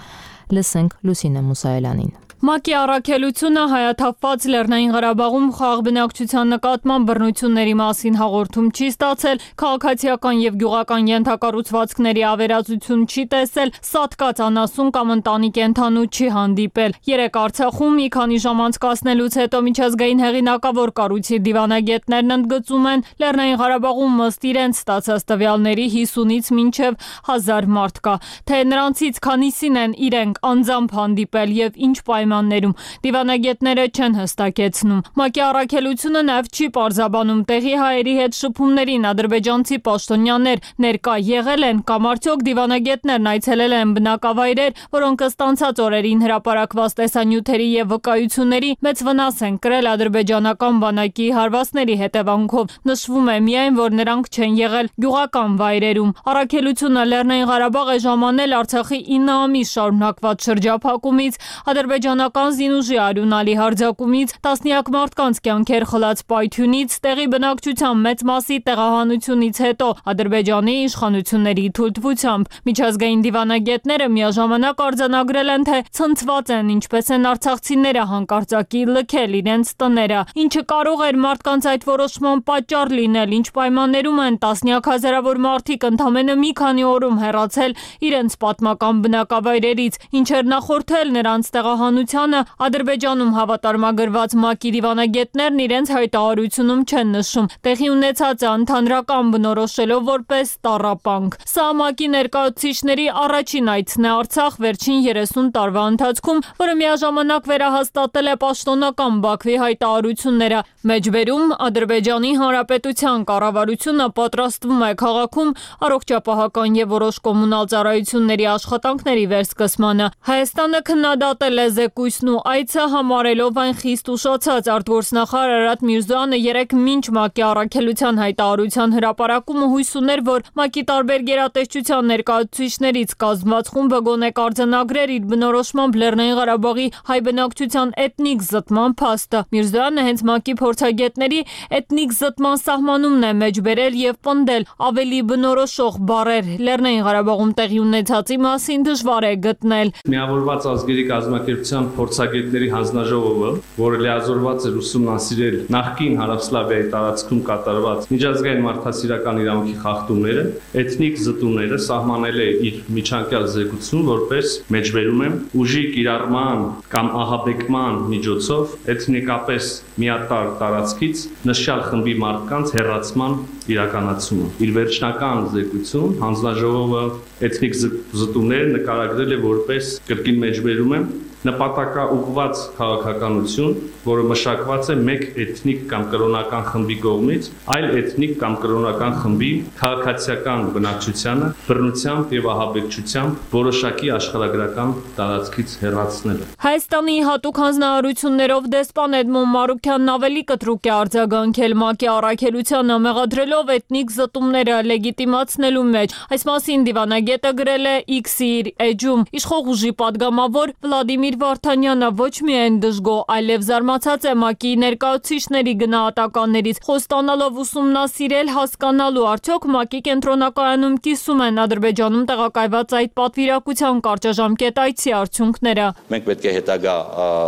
Լսենք Լուսինե Մուսայելյանին։ ՄԱԿ-ի առաքելությունը հայաթափված Լեռնային Ղարաբաղում խաղաղ բնակչության նկատմամբ բռնությունների մասին հաղորդում չի ստացել, քաղաքացիական եւ գյուղական ենթակառուցվածքների ավերածություն չի տեսել, սատկած անասուն կամ ընտանի կենդանու չի հանդիպել։ Երեք Արցախում մի քանի ժամ անցկացնելուց հետո միջազգային հեղինակավոր կառույցի դիվանագետներն ընդգծում են, Լեռնային Ղարաբաղում ըստ իրենց ստացած տվյալների հիսունից մինչև հազար մարդ կա, թե նրանցից քանիսին են իրենք անձամբ հանդիպել եւ ինչ պայմաններում, դիվանագետները չեն հստակեցնում։ ՄԱԿ-ի առաքելությունը նաև չի պարզաբանում տեղի հայերի հետ շփումներին ադրբեջանցի պաշտոնյաներ ներկա եղել են կամ արդյոք դիվանագետներն այցելել են բնակավայրեր, որոնք ըստ անցած օրերին հրապարակված տեսանյութերի եւ վկայությունների մեծ վնաս են կրել ադրբեջանական բանակի հարվածների հետևանքով։ Նշվում է միայն, որ նրանք չեն եղել գյուղական վայրերում։ Առաքելությունը Լեռնային Ղարաբաղ է ժամանել Արցախի ինը ամիս շարունակված շրջափակումից, ադրբեջանական զինուժի արյունալի հարձակումից, տասնյակ մարդկանց կյանքեր խլած պայթյունից, տեղի բնակչության մեծ մասի տեղահանությունից հետո Ադրբեջանի իշխանությունների թույլտվությամբ միջազգային դիվանագետները միաժամանակ արձանագրել են, թե ցնցված են ինչպես են արցախցիները հանկարծակի լքել իրենց տները, ինչը կարող էր մարդկանց այդ որոշման պատճառ լինել, ինչ պայմաններում են տասնյակ հազարավոր մարդիկ ընդամենը մի քանի օրում հեռացել իրենց պատմական բնակավայրերից, ինչեր նախորդել նրանց տեղահանությանը, Ադրբեջանում հավատարմագրված ՄԱԿ-ի դիվանագետներն իրենց հայտարարությունում չեն նշում, տեղի ունեցածը ընդհանրական բնորոշելով որպես տառապանք։ Սա ՄԱԿ-ի ներկայացուցիչների առաջին այցն է Արցախ վերջին երեսուն տարվա ընթացքում, որը միաժամանակ վերահաստատել է պաշտոնական Բաքվի հայտարարությունները։ Մեջբերում Ադրբեջանի Հանրապետության կառավարությունը պատրաստվում է քաղաքում առողջապահական եւ որոշ կոմունալ ծառայությունների աշխատանքների վերսկսմանը։ Հայաստանը քննադատել է զեկույցն ու այցը, համարելով այն խիստ ուշացած։ Արտգործնախարար Արարատ Միրզոյանը երեկ մինչ ՄԱԿ-ի առաքելության հայտարարության հրապարակումը հույս ուներ, որ ՄԱԿ-ի տարբեր գերատեսչության ներկայացուցիչներից կազմված խումբը գոնե կարձանագրեր իր բնորոշմամբ Լեռնային Ղարաբաղի հայ բնակչության էթնիկ զտման փաստը։ Միրզոյանը հենց ՄԱԿ-ի փորձագետների էթնիկ զտման սահմանումն է մեջբերել եւ պնդել ավելի բնորոշող բառեր Լեռնային Ղարաբաղում տեղի ունեցածի մասին դժվար է գտնել։ Միավորված ազգերի կազմակերպության փորձագետների հանձնաժողովը, որը լիազորված էր ուսումնասիրել նախկին Հարավսլավիայի տարածքում կատարված միջազգային մարդասիրական իրավունքի խախտումները, էթնիկ զտումները սահմանել է իր միջանկյալ զեկույցում որպես, մեջբերում եմ, ուժի կիրառման կամ ահաբեկման միջոցով էթնիկապես միատարր տարածքից նշյալ խմբի մարդկանց հեռացման իրականացումը։ Իր վերջնական զեկույցում հանձնաժողովը էթնիկ զտումները նկարագրել է որպես, կրկին մեջբերում եմ, նպատակաուղղված քաղաքականություն, որը մշակված է մեկ էթնիկ կամ կրոնական խմբի կողմից, այլ էթնիկ կամ կրոնական խմբի քաղաքացիական բնակչությանը բռնությամբ եւ ահաբեկչությամբ որոշակի աշխարհագրական տարածքից հեռացնելը։ Հայաստանի հատուկ հանձնարարություններով դեսպան Էդմոն Մարուքյանն ավելի կտրուկ է արձագանքել ՄԱԿ-ի առաքելությանը, մեղադրելով էթնիկ զտումները լեգիտիմացնելու մեջ։ Այս մասին դիվանագետը գրել է X-ի իր էջում։ Իշխող ուժի падգամավոր Վլադիմիր Վարդանյանը ոչ միայն դժգոհ, այլև զարմացած է ՄԱԿ-ի ներկայացուցիչների գնահատականներից, խոստանալով ուսումնասիրել, հասկանալու արդյոք ՄԱԿ-ի կենտրոնակայանում կիսում են Ադրբեջանում տեղակայված այդ պատվիրակության կարճաժամկետ այցի արդյունքները։ Մենք պետք է հետագա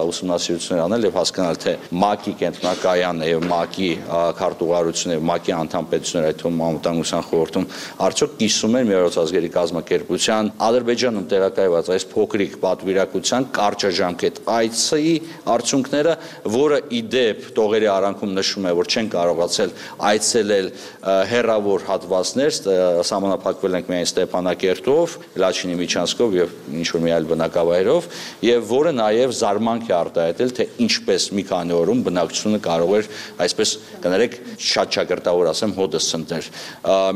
ուսումնասիրություններ անել եւ հասկանալ, թե ՄԱԿ-ի կենտրոնակայանը եւ ՄԱԿ-ի քարտուղարությունը եւ ՄԱԿ-ի անդամ պետությունները, այդ թվում անվտանգության խորհրդում արդյոք կիսում են Միավորված ազգերի կազմակերպության Ադրբեջանում տեղակայված այս փոքրիկ պատվիրակության կարճաժամկետ այցի արդյունքները, որը ի դեպ տողերի արանքում նշում է, որ չեն կարողացել այցելել հեռավոր հատվածներ, սահմանափակվել ենք միայն Ստեփանակերտով, Լաչինի Միչանսկով եւ ինչ որ մի այլ բնակավայրով, եւ որը նաեւ զարմանք է արտահայտել, թե ինչպես մի քանի օրում բնակչությունը կարող էր, այսպես կներեք, շատ ճակերտավոր ասեմ, հոդս ցնտեր։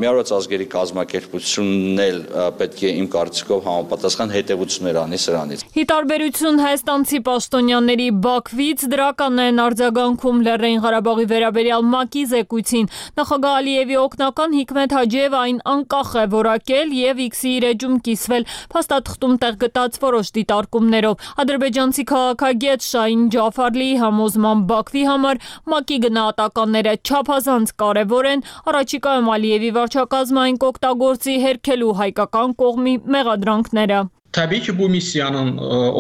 Միավորված ազգերի կազմակերպությունն էլ պետք է իմ կարծիքով համապատասխան հետևություններ անի սրանից։ Ի տարբերություն հայաստանցի պաշտոնյաների Բաքվից դրական են արձագանքում Լեռնային Ղարաբաղի վերաբերյալ ՄԱԿ-ի զեկույցին։ Նախագահ Ալիևի օգնական Հիկմետ Հաջիևը այն անկախ է որակել եւ X-ի իր էջում կիսվել փաստաթղթում տեղ գտած որոշ դիտարկումներով։ Ադրբեջանցի քաղաքագետ Շահին Ջաֆարլիի համոզման Բաքվի համար ՄԱԿ-ի գնահատականները չափազանց կարևոր են, առաջիկայում Ալիևի վարչակազմային կօգտագործի հերքելու հայկական կողմի մեղադրանքները։ Tabii ki bu misyanın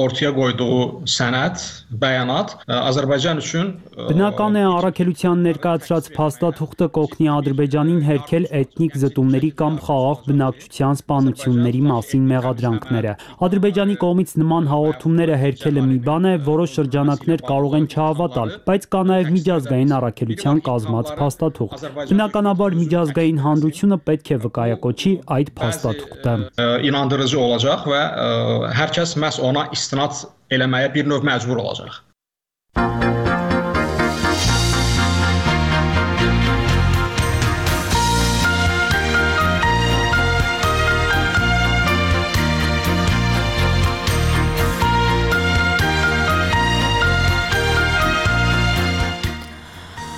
ortaya koyduğu sənəd, bəyanat Azərbaycan üçün Բնական է առաքելության ներկայացրած փաստաթուղթը կօգնի Ադրբեջանին հերքել էթնիկ զտումների կամ խաղաղ բնակչության սպանությունների մասին մեղադրանքները։ Ադրբեջանի կողմից նման հաղորդումները հերքելը մի բան է, որոշ շրջանակներ կարող են չհավատալ, բայց կա նաև միջազգային առաքելության կազմած փաստաթուղթ։ Բնականաբար միջազգային հանրությունը պետք է վկայակոչի այդ փաստաթուղթը։ İnandırıcı olacaq və hər kəs məhz ona istinad eləməyə bir növ məcbur olacaq.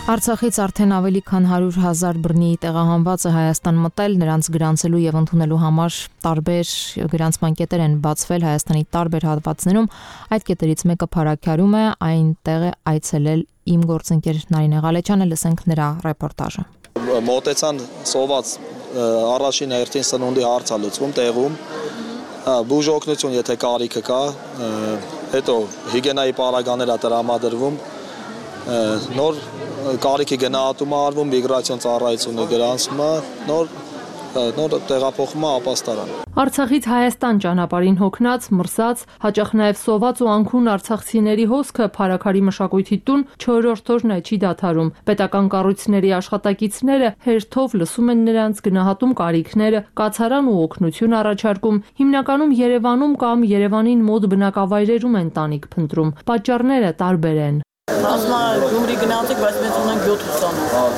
Արցախից արդեն ավելի քան հարյուր հազար բռնի տեղահանված է Հայաստան մտել, նրանց գրանցելու եւ ընդունելու համար տարբեր գրանցման կետեր են բացվել Հայաստանի տարբեր հատվածներում։ Այդ կետերից մեկը Փարաքարում է, այնտեղ է այցելել իմ գործընկեր Նարինե Ղալեչյանը, լսենք նրա ռեպորտաժը։ Մոտեցան սոված առաջին հերթին սնունդի հարց է լուծվում տեղում։ Բուժօգնություն, եթե կարիքը կա, հետո հիգիենայի պարագաներ է տրամադրվում։ Նոր կարիքի գնահատումը արվում, միգրացիոն ծառայությունը գրանցվում է, նոր նոր տեղափոխումը ապաստարան։ Արցախից Հայաստան ճանապարհին հոգնած, մրսած, հաճախ նաև սոված ու անքուն արցախցիների հոսքը Փարաքարի մշակույթի տուն չորրորդ օրն է չի դադարում։ Պետական կառույցների աշխատակիցները հերթով լսում են նրանց, գնահատում կարիքները, կացարան ու օգնություն առաջարկում։ Հիմնականում Երևանում կամ Երևանին մոտ բնակավայրերում են տանիք փնտրում։ Պատճառները տարբեր են։ Ասում եմ Գյումրի գնացեք, բայց մենք ունենք յոթ ուսանող։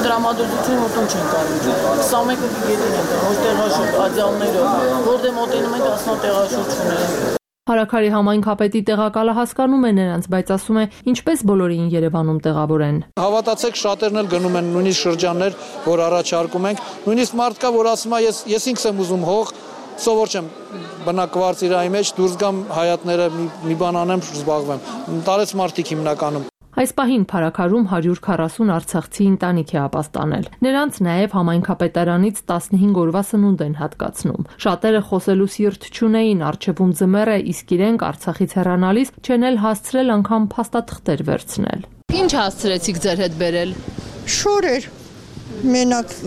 Դրամատուրգություն որտեղ չեն կարող։ քսանմեկ գետին ենք, ոչ տեղաշուրջ, ադյալներով, որտեղ մոտենում ենք, ասում տեղաշուրջ չունենք։ Փարաքարի համայնքապետի տեղակալը հասկանում է նրանց, բայց ասում է, ինչպես բոլորին Երևանում տեղավորեն։ Հավատացեք, շատերն էլ գնում են նույնիսկ շրջաններ, որ առաջարկում ենք։ Նույնիսկ մարդ կա, որ ասում է, ես ես ինքս եմ ուզում հող, սովոր չեմ բնակվարձիրայի մեջ դուրս գամ հայատները մի բան անեմ, զբաղվեմ։ Տարեց մարդիկ հիմնականում։ Այս պահին Փարաքարում հարյուր քառասուն արցախցի ընտանիք է ապաստանել։ Նրանց նաև համայնքապետարանից տասնհինգ օրվա սնունդ են հատկացնում։ Շատերը խոսելու սիրտ չունեին, առջևում ձմեռ է, իսկ իրենք Արցախից հեռանալիս չեն էլ հասցրել անգամ փաստաթղթեր վերցնել։ Ինչ հասցրեցիք ձեր հետ բերել։ Շորեր։ Մենակ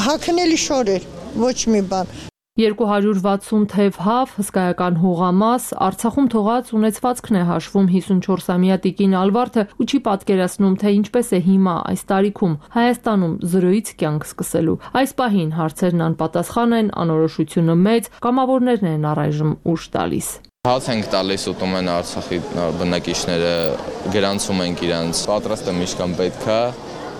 հագնելի շորեր, ոչ մի բան։ երկու հարյուր վաթսուն թև հավ, հսկայական հողամաս, Արցախում թողած ունեցվածքն է հաշվում հիսունչորսամյա տիկին Ալվարդը ու չի պատկերացնում, թե ինչպես է հիմա այս տարիքում Հայաստանում զրոյից կյանք սկսելու։ Այս պահին հարցերն անպատասխան են, անորոշությունը մեծ, կամավորներն են առայժմ ուշ տալիս։ Հաց ենք տալիս ուտում են Արցախի բնակիչները, գրանցում ենք իրանց, պատրաստ եմ ինչքան պետք է,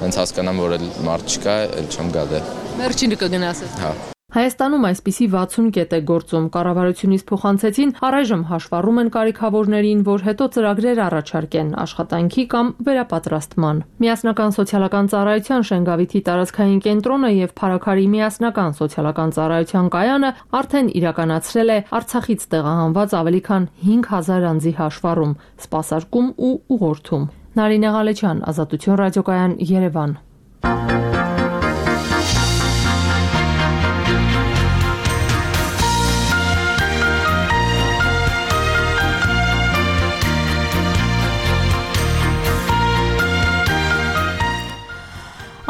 հենց հասկանամ, որ էլ մարդ չկա, էլ չեմ գա դե։ Վերջինը կգնացես։ Հա։ Հայաստանում այսպիսի վաթսուն կետ է գործում, կառավարությունից փոխանցեցին, առայժմ հաշվառում են կարիքավորներին, որ հետո ծրագրեր առաջարկեն աշխատանքի կամ վերապատրաստման։ Միասնական սոցիալական ծառայության Շենգավիթի տարածքային կենտրոնը եւ Փարաքարի միասնական սոցիալական ծառայության կայանը արդեն իրականացրել է Արցախից տեղահանված ավելի քան հինգ հազար անձի հաշվառում, սպասարկում ու ուղղորդում։ Նարինե Ղալեչյան, Ազատություն ռադիոկայան, Երևան։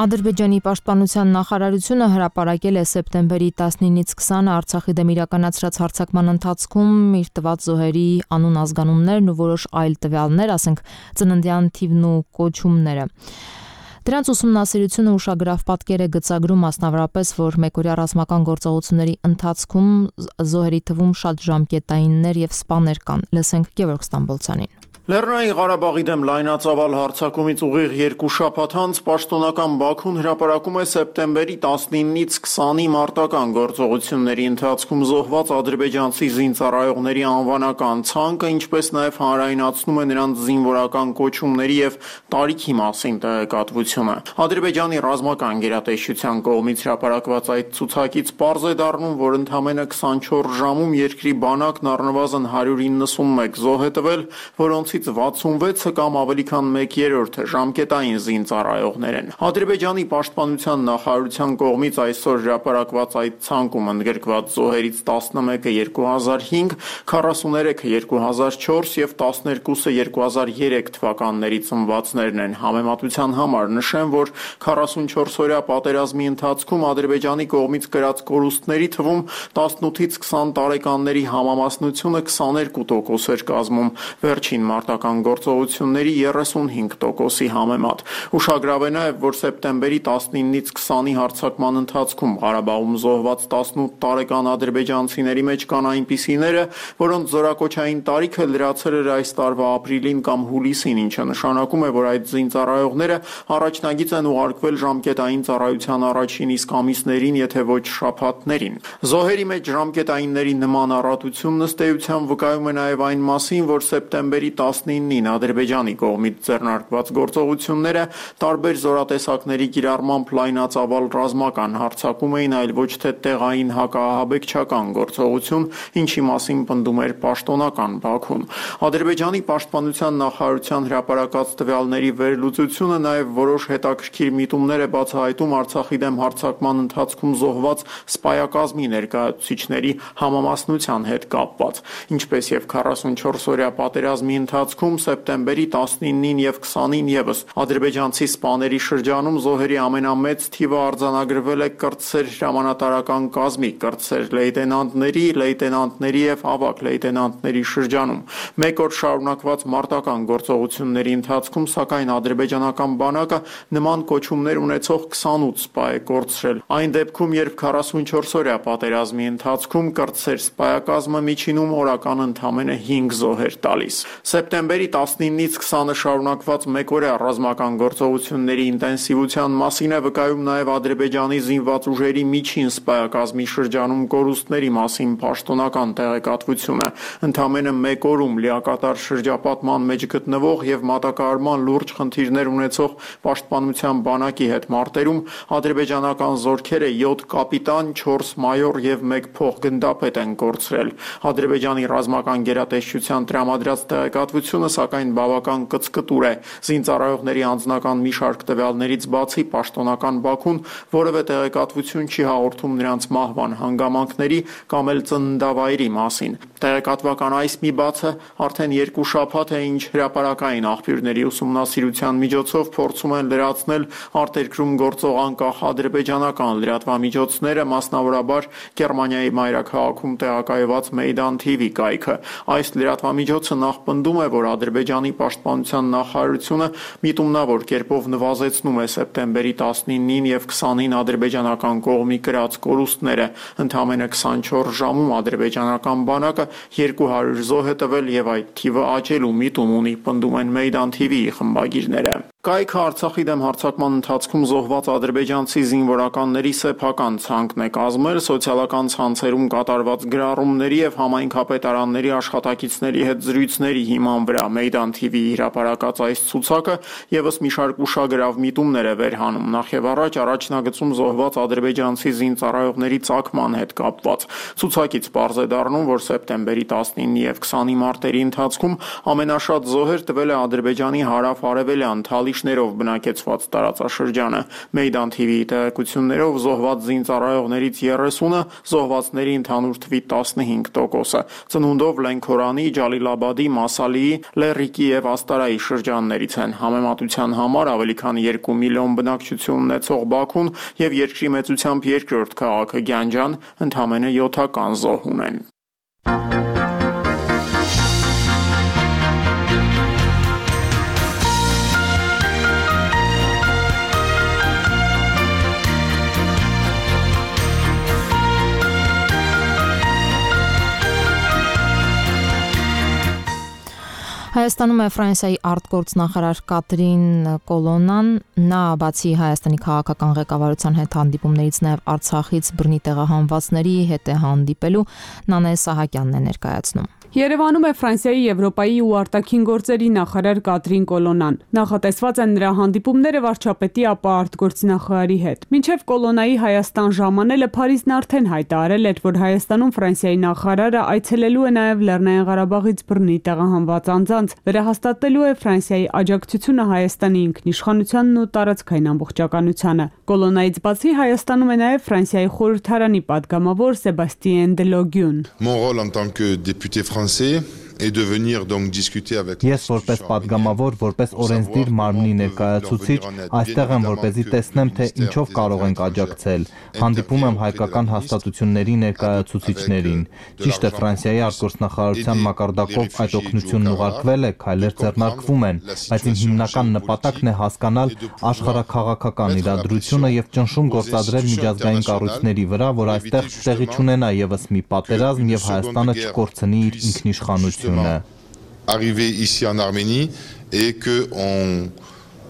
Ադրբեջանի պաշտպանության նախարարությունը հրապարակել է սեպտեմբերի տասնինից քսանը Արցախի դեմ իրականացրած հարձակման ընթացքում իր տված զոհերի անուն ազգանուններն ու որոշ այլ տվյալներ, ասենք ծննդյան թիվն ու կոչումները։ Դրանց ուսումնասիրությունը ուշագրավ պատկեր է գծագրում, մասնավորապես, որ մեկօրյա ռազմական գործողությունների ընթացքում զոհերի թվում շատ ժամկետայիններ եւ սպաներ կան։ Լսենք Գևորգ Ստամբոլցյանին։ Լեռնային Ղարաբաղի դեմ լայնածավալ հարձակումից ուղիղ երկու շաբաթ անց պաշտոնական Բաքուն հրապարակում է սեպտեմբերի տասնինից քսանի մարտական գործողությունների ընթացքում զոհված ադրբեջանցի զինծառայողների անվանական ցանկը, ինչպես նաև հանրայնացնում է նրանց զինվորական կոչումների եւ տարիքի մասին տեղեկատվությունը։ Ադրբեջանի ռազմական գերատեսչության կողմից հրապարակված այդ ցուցակից պարզ է դառնում, որ ընդամենը քսանչորս ժամում երկրի բանակն առնվազն հարյուր իննսունմեկ զոհ է տվել, որոնց վաթսունվեցը կամ ավելի քան մեկ երրորդը ժամկետային զինծառայողներ են։ Ադրբեջանի պաշտպանության նախարարության կողմից այսօր հրապարակված այդ ցանկում ընդգրկված զոհերից տասնմեկը երկու հազար հինգ, քառասուներեքը երկու հազար չորս եւ տասներկուսը երկու հազար երեք թվականների ծնվածներն են։ Համեմատության համար նշեմ, որ քառասունչորս-օրյա պատերազմի ընթացքում Ադրբեջանի կողմից կրած կորուստների թվում տասնութից քսան տարեկանների համամասնությունը քսաներկու տոկոս էր կազմում, վերջին մարտական գործողությունների երեսունհինգ տոկոսի համեմատ։ Ուշագրավ է նաև, որ սեպտեմբերի տասնինից քսանի հարձակման ընթացքում Ղարաբաղում զոհված տասնութ տարեկան ադրբեջանցիների մեջ կան այնպիսիները, որոնց զորակոչային տարիքը լրացել էր այս տարվա ապրիլին կամ հուլիսին, ինչը նշանակում է, որ այդ զինծառայողները առաջնագիծ են ուղարկվել ժամկետային ծառայության առաջին իսկ ամիսներին, եթե ոչ շաբաթներին։ Զոհերի մեջ ժամկետայինների նման առատությունն ըստ էության վկայում է նաև այն մասին, որ սեպտեմբերի տասնինին Ադրբեջանի կողմից ձեռնարկված գործողությունները տարբեր զորատեսակների կիրառմամբ լայնածավալ ռազմական հարձակում էին, այլ ոչ թե տեղային հակաահաբեկչական գործողություն, ինչի մասին պնդում էր պաշտոնական Բաքուն։ Ադրբեջանի պաշտպանության նախարարության հրապարակած տվյալների վերլուծությունը նաև որոշ հետաքրքիր միտումներ է բացահայտում Արցախի դեմ հարձակման ընթացքում զոհված սպայակազմի ներկայացուցիչների համամասնության հետ կապված, ինչպես եւ քառասունչորս-օրյա պատերազմի ընթացքում սեպտեմբերի տասնինին եւ քսանին ևս ադրբեջանցի սպաների շրջանում զոհերի ամենամեծ թիվը արձանագրվել է կրտսեր հրամանատարական կազմի, կրտսեր լեյտենանտների, լեյտենանտների եւ ավագ լեյտենանտների շրջանում։ Մեկ օր շարունակված մարտական գործողությունների ընթացքում, սակայն ադրբեջանական բանակը նման կոչումներ ունեցող քսանութ սպա է կորցրել։ Այն դեպքում, երբ քառասունչորս-օրյա պատերազմի ընթացքում կրտսեր սպայակազմը միջինում օրական ընդամենը հինգ զոհ էր տալիս։ Սեպտեմբերի տասնինից քսանը շարունակված մեկօրյա ռազմական գործողությունների ինտենսիվության մասին է վկայում նաև Ադրբեջանի զինված ուժերի միջին սպայակազմի շրջանում կորուստների մասին պաշտոնական տեղեկատվությունը։ Ընդամենը մեկ օրում լիակատար շրջապատման մեջ գտնվող եւ մատակարարման լուրջ խնդիրներ ունեցող պաշտպանության բանակի հետ մարտերում ադրբեջանական զորքերը յոթ կապիտան, չորս մայոր եւ մեկ փոխգնդապետ են կորցրել։ Ադրբեջանի ռազմական գերատեսչության տրամադրած տեղեկատվությունը սակայն բավական կծկտուր է։ Զինծառայողների անձնական մի շարք տվյալներից բացի պաշտոնական Բաքուն որևէ տեղեկատվություն չի հաղորդում նրանց մահվան հանգամանքների կամ էլ ծննդավայրի մասին։ Տեղեկատվական այս մի բացը արդեն երկու շաբաթ է, ինչ հրապարակային աղբյուրների ուսումնասիրության միջոցով փորձում են լրացնել արտերկրում գործող անկախ ադրբեջանական լրատվամիջոցները, մասնավորաբար Գերմանիայի մայրաքաղաքում տեղակայված Մեյդան թի վի կայքը։ Այս լրատվամիջոցը նախ պնդում է, որ Ադրբեջանի պաշտպանության նախարարությունը միտումնավոր կերպով նվազեցնում է սեպտեմբերի տասնինին եւ քսանին ադրբեջանական կողմի կրած կորուստները։ Ընդամենը քսանչորս ժամում ադրբեջանական բանակը երկու հարյուր զոհ է տվել եւ այդ թիվը աճելու միտում ունի, պնդում են Մեյդան թի վի-ի խմբագիրները։ Կայքը Արցախի դեմ հարձակման ընթացքում զոհված ադրբեջանցի զինվորականների սեփական ցանկն է կազմել սոցիալական ցանցերում կատարված գրառումների եւ համայնքապետարանների աշխատակիցների հետ զրույցների հիման վրա։ Մեյդան թի վի-ի հրապարակած այս ցուցակը եւս մի շարք ուշագրավ միտումներ է վերհանում, նախ եւ առաջ առաջնագծում զոհված ադրբեջանցի զինծառայողների ծագման հետ կապված։ Ցուցակից պարզ է դառնում, որ սեպտեմբերի տասնինի եւ քսանի մարտերի ընթացքում ամենաշատ զոհեր տվել է Ադրբեջանի հարավ-արևելյան թալիշներով բնակեցված տարածաշրջանը։ Մեյդան թի վի-ի տեղեկություններով զոհված զինծառայողներից երեսունը զոհվածների ընդհանուր թվի տասնհինգ տոկոսը ծնունդով Լենքորանի, Ջալիլաբադի, Մասալիի, Լեռիկի եւ Աստարայի շրջաններից են։ Համեմատության համար ավելի քան երկու միլիոն բնակչություն ունեցող Բաքուն եւ երկրի մեծությամբ երկրորդ քաղաքը Գյանջան ընդամենը յոթական զոհ ունեն։ Հայաստանում է Ֆրանսիայի արտգործնախարար Կատրին Կոլոնան, նա բացի Հայաստանի քաղաքական ղեկավարության հետ հանդիպումներից նաև Արցախից բռնի տեղահանվածների հետ է հանդիպելու, Նանե Սահակյանն է ներկայացնում։ Երևանում է Ֆրանսիայի, Եվրոպայի ու արտաքին գործերի նախարար Կատրին Կոլոնան։ Նախատեսված են նրա հանդիպումները վարչապետի, ապա արտգործնախարարի հետ։ Մինչև Կոլոնայի Հայաստան ժամանելը Փարիզն արդեն հայտարարել էր, որ Հայաստանում Ֆրանսիայի նախարարը այցելելու է նաև Լեռնային Ղարաբաղից բռնի տեղահանված անձանց, վերահաստատելու է Ֆրանսիայի աջակցությունը Հայաստանի ինքնիշխանությանն ու տարածքային ամբողջականությանը։ Կոլոնայից բացի Հայաստանում է նաև Ֆրանսիայի խորհրդարանի падգամավոր Սեբաստիեն Դելոգյուն։ Mon rôle en tant que député français et de venir donc discuter avec Ես որպես падգամավոր, որպես օրենսդիր մարմնի ներկայացուցիչ, այստեղ եմ որպեսզի տեսնեմ, թե ինչով կարող ենք աջակցել։ Հանդիպում եմ հայկական հաստատությունների ներկայացուցիչներին։ Ճիշտ է, Ֆրանսիայի արտգործնախարարության մակարդակով այդ օգնությունն ուղարկվել է, քայլեր ձեռնարկվում են, բայց իմ հիմնական նպատակն է հասկանալ աշխարհաքաղաքական իրադրությունը եւ ճնշում գործադրել միջազգային կառույցների վրա, որ այստեղ տեղի չունենա եւս մի պատերազմ եւ Հայաստանը չկորցնի իր ինքնիշխանությունը։ Arriver ici en Arménie et que on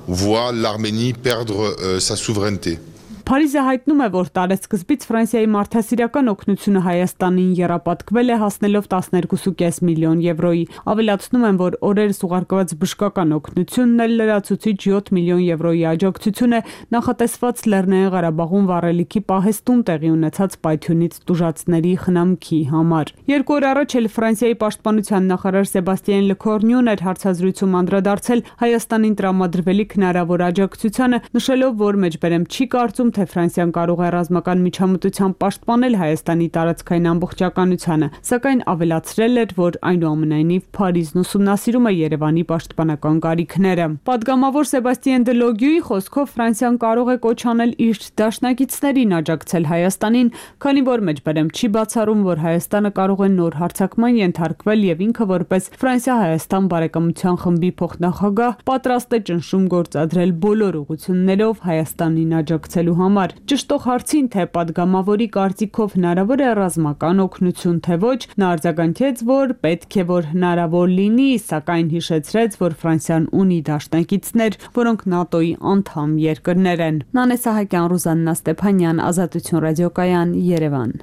voit l'Arménie perdre euh, sa souveraineté. Փարիզը հայտնում է, որ տարեսկզբից Ֆրանսիայի մարդասիրական օգնությունը Հայաստանին եռապատկվել է հասնելով տասներկու կես միլիոն եվրոյի։ Ավելացնում են, որ օրերս ուղարկված բժշկական օգնությունն էլ լրացուցիչ յոթ միլիոն եվրոյի աջակցություն է նախատեսված Լեռնային Ղարաբաղում վառելիքի պահեստում տեղի ունեցած պայթյունից տուժածների խնամքի համար։ Երկու օր առաջ էլ Ֆրանսիայի պաշտպանության նախարար Սեբաստիեն Լեկորնյուն էր հարցազրույցում անդրադարձել Հայաստանին տրամադրվելիք հնարավոր աջակցությանը, նշելով, որ մեջբերեմ չի կարծում, թե Ֆրանսիան կարող է ռազմական միջամտությամբ պաշտպանել Հայաստանի տարածքային ամբողջականությանը, սակայն ավելացրել էր, որ այնուամենայնիվ Փարիզն ուսումնասիրում է Երևանի պաշտպանական կարիքները։ Պատգամավոր Սեբաստիեն Դելոգյուի խոսքով Ֆրանսիան կարող է կոչ անել իր դաշնակիցներին աջակցել Հայաստանին, քանի որ մեջբերեմ չի բացառում, որ Հայաստանը կարող է նոր հարձակման ենթարկվել եւ ինքը որպես Ֆրանսիա-Հայաստան բարեկամության խմբի փոխնախագահ պատրաստ է ճնշում գործադրել բոլոր ուղղություններով Հայաստանին աջակցելու համար։ Ճշտող հարցին, թե падգամավորի կարծիքով հնարավոր է ռազմական օգնություն, թե ոչ, նա արձագանքեց, որ պետք է որ հնարավոր լինի, սակայն հիշեցրեց, որ Ֆրանսիան ունի դաշնակիցներ, որոնք ՆԱՏՕ-ի անդամ երկրներ են։ Նանե Սահակյան, Ռուզաննա Ստեփանյան, Ազատություն ռադիոկայան, Երևան։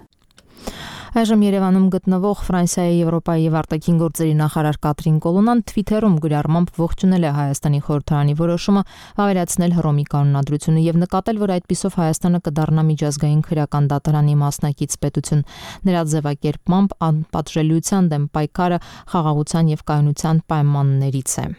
Այժմ Երևանում գտնվող Ֆրանսիայի, Եվրոպայի եւ արտաքին գործերի նախարար Կատրին Կոլոնան Twitter-ում գրառմամբ ողջունել է Հայաստանի խորհրդարանի որոշումը վավերացնել Հռոմի կանոնադրությունը եւ նկատել, որ այդպիսով Հայաստանը կդառնա միջազգային քրեական դատարանի մասնակից պետություն։ Նրա ձևակերպմամբ անպատժելիության դեմ պայքարը խաղաղության եւ կայունության պայմաններից է։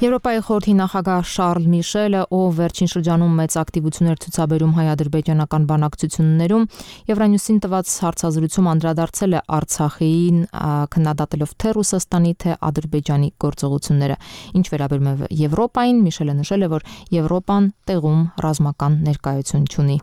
Եվրոպայի խորհրդի նախագահ Շարլ Միշելը, ով վերջին շրջանում մեծ ակտիվություններ ցուցաբերում հայ-ադրբեջանական բանակցություններում, Եվրանյուսին տված հարցազրույցում անդրադարձել է Արցախին, քննադատելով թե Ռուսաստանի, թե Ադրբեջանի գործողությունները։ Ինչ վերաբերում է Եվրոպային, Միշելը նշել է, որ Եվրոպան տեղում ռազմական ներկայություն չունի։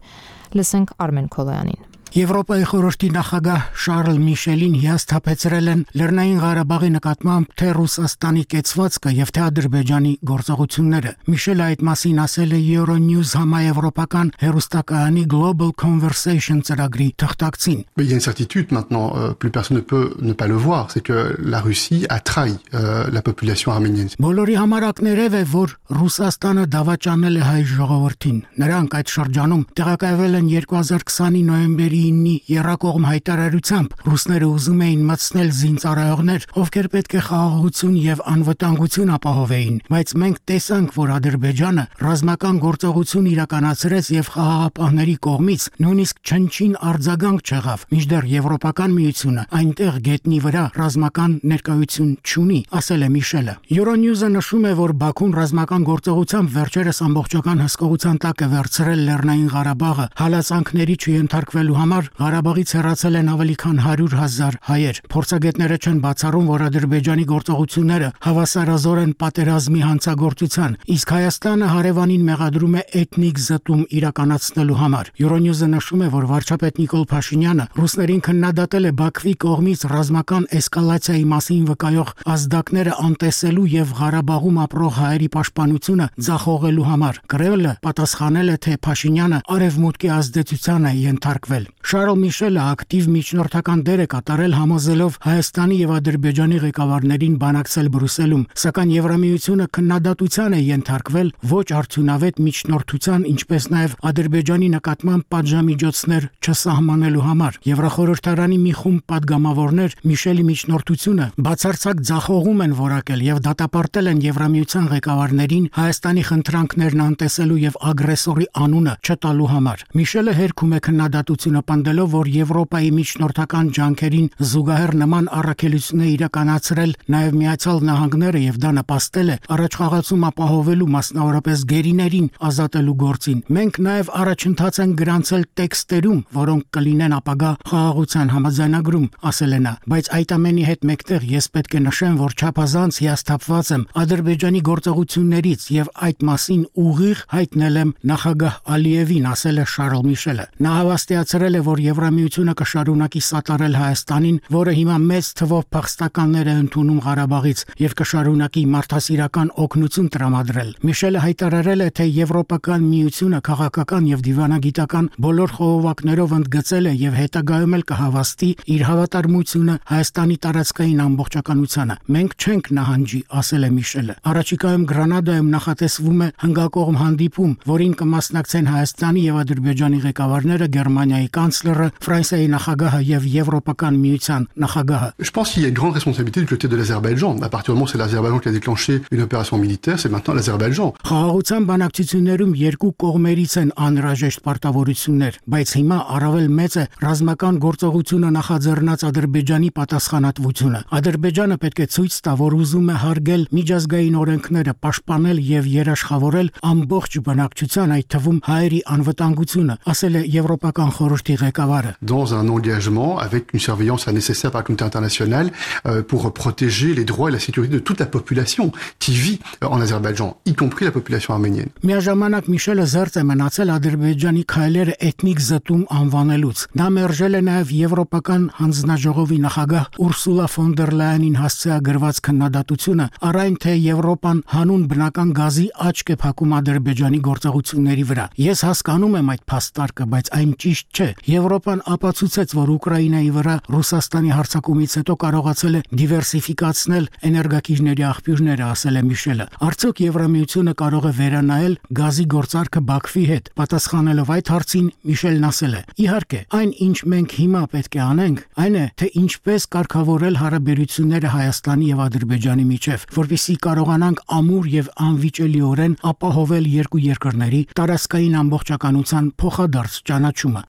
Լսենք Արմեն Քոլոյանին։ Եվրոպայի խորհրդի նախագահ Շարլ Միշելին հիասթափեցրել են Լեռնային Ղարաբաղի նկատմամբ թե Ռուսաստանի կեցվածքը եւ թե Ադրբեջանի գործողությունները։ Միշելը այդ մասին ասել է Euronews համաեվրոպական հեռուստակայանի Global Conversation ծրագրի թղթակցին։ Il y a une certitude maintenant, euh, plus personne ne peut ne pas le voir, c'est que la Russie a trahi euh, la population arménienne. Բոլորի համար ակներև է, որ Ռուսաստանը դավաճանել է հայ ժողովրդին։ Նրանք այդ շրջանում տեղակայվել են երկու հազար քսանի նոյեմբերի իննի երակողմ հայտարարությամբ ռուսները ուզում էին մտցնել զինծառայողներ, ովքեր պետք է խաղաղություն եւ անվտանգություն ապահովեին, բայց մենք տեսանք, որ Ադրբեջանը ռազմական գործողություն իրականացրեց եւ խաղաղապահների կողմից նույնիսկ չնչին արձագանք չեղավ, մինչդեռ Եվրոպական միությունը այնտեղ գետնի վրա ռազմական ներկայություն չունի, ասել է Միշելը։ Euronews-ը նշում է, որ Բաքուն ռազմական գործողությամբ վերջերս ամբողջական հսկողության տակ է վերցրել Լեռնային Ղարաբաղը, հալածանքների չենթարկվելու համար Ղարաբաղից հեռացել են ավելի քան հարյուր հազար հայեր։ Փորձագետները չեն բացառում, որ Ադրբեջանի գործողությունները հավասարազոր են պատերազմի հանցագործության, իսկ Հայաստանը հարևանին մեղադրում է էթնիկ զտում իրականացնելու համար։ Euronews-ը նշում է, որ վարչապետ Նիկոլ Փաշինյանը ռուսներին քննադատել է Բաքվի կողմից ռազմական էսկալացիայի մասին վկայող ազդակները անտեսելու եւ Ղարաբաղում ապրող հայերի պաշտպանությունը ձախողելու համար։ Կրեմլը պատասխանել է, թե Փաշինյանը արևմուտքի ազդեցության է ենթարկվել։ Շարլ Միշելը ակտիվ միջնորդական դեր է կատարել համոզելով Հայաստանի եւ Ադրբեջանի ղեկավարներին բանակցել Բրյուսելում, սակայն Եվրամիությունը քննադատության է ենթարկվել ոչ արդյունավետ միջնորդության, ինչպես նաեւ Ադրբեջանի նկատմամբ պատժամիջոցներ չսահմանելու համար։ Եվրախորհրդարանի մի խումբ падգամավորներ Միշելի միջնորդությունը բացարձակ ձախողում են որակել եւ դատապարտել են Եվրամիության ղեկավարներին Հայաստանի խնդրանքներն անտեսելու եւ ագրեսորի անունը չտալու համար։ Միշելը հերքում է քննադատությունը պնդելով, որ Եվրոպայի միջնորդական ջանքերին զուգահեռ նման առաքելություններ իրականացրել նաև Միացյալ Նահանգները եւ դա նպաստել է առաջխաղացում ապահովելու, մասնավորապես գերիներին ազատելու գործին։ Մենք նաև առաջընթաց են գրանցել տեքստերում, որոնք կլինեն ապագա խաղաղության համաձայնագրում, ասել է նա, բայց այդ ամենի հետ մեկտեղ ես պետք է նշեմ, որ չափազանց հիասթափված եմ Ադրբեջանի գործողություններից եւ այդ մասին ուղիղ հայտնել եմ նախագահ Ալիևին, ասել է Շարլ Միշելը։ Նա հավաստիացրել է, որ Եվրամիությունը կշարունակի սատարել Հայաստանին, որը հիմա մեծ թվով փախստականներ է ընդունում Ղարաբաղից եւ կշարունակի մարդասիրական օգնություն տրամադրել։ Միշելը հայտարարել է, թե Եվրոպական միությունը քաղաքական եւ դիվանագիտական բոլոր խողովակներով ընդգծել է եւ հետագայում էլ կհավաստի իր հավատարմությունը Հայաստանի տարածքային ամբողջականությանը։ Մենք չենք նահանջի, ասել է Միշելը։ Առաջիկայում Գրանադայում նախատեսվում է հնգակողմ հանդիպում, որին կմասնակցեն Հայաստանի եւ Ադրբեջանի ղեկավարները, Գերմանիայի կանցլերը, Ֆրանսիայի նախագահը եւ Եվրոպական միության նախագահը։ Je pense qu'il y a une grande responsabilité du côté de l'Azerbaïdjan. À partir du moment où c'est l'Azerbaïdjan qui a déclenché une opération militaire, c'est maintenant l'Azerbaïdjan. Խաղաղության բանակցություններում երկու կողմերից են անհրաժեշտ պարտավորություններ, բայց հիմա առավել մեծ է ռազմական գործողությունը նախաձեռնած Ադրբեջանի պատասխանատվությունը։ Ադրբեջանը պետք է ցույց տա, որ ուզում է հարգել միջազգային օրենքները, պաշտպանել եւ երաշխավորել ամբողջ բնակչության, այդ թվում հայերի անվտանգությունը, ասել է Եվրոպական խորհրդի ղեկավարը։ Dans un engagement avec une surveillance nécessaire par la communauté internationale euh, pour protéger les droits et la sécurité de toute la population qui vit en Azerbaïdjan, y compris la population arménienne. Միաժամանակ Միշելը զերծ է մնացել Ադրբեջանի քայլերը էթնիկ զտում անվանելուց։ Նա մերժել է նաև Եվրոպական հանձնաժողովի նախագահ Ուրսուլա ֆոն դեր Լայենին հասցեագրված քննադատությունը, առայն թե Եվրոպան հանուն բնական գազի աչք է փակում Ադրբեջանի գործողությունների վրա։ Ես հասկանում եմ այդ փաստարկը, բայց այն ճիշտ չէ։ Եվրոպան ապացուցեց, որ Ուկրաինայի վրա Ռուսաստանի հարձակումից հետո կարողացել է դիվերսիֆիկացնել էներգակիրների աղբյուրները, ասել է Միշելը։ Արդյոք Եվրամիությունը կարող է վերանայել գազի գործարքը Բաքվի հետ։ Պատասխանելով այդ հարցին Միշելն ասել է. Իհարկե, այն ինչ մենք հիմա պետք է անենք, այն է, թե ինչպես կարգավորել հարաբերությունները Հայաստանի եւ Ադրբեջանի միջեւ, որպեսզի կարողանանք ամուր եւ անվիճելիորեն ապահովել երկու երկրների տարածքային ամբողջականության փոխադարձ ճանաչումը։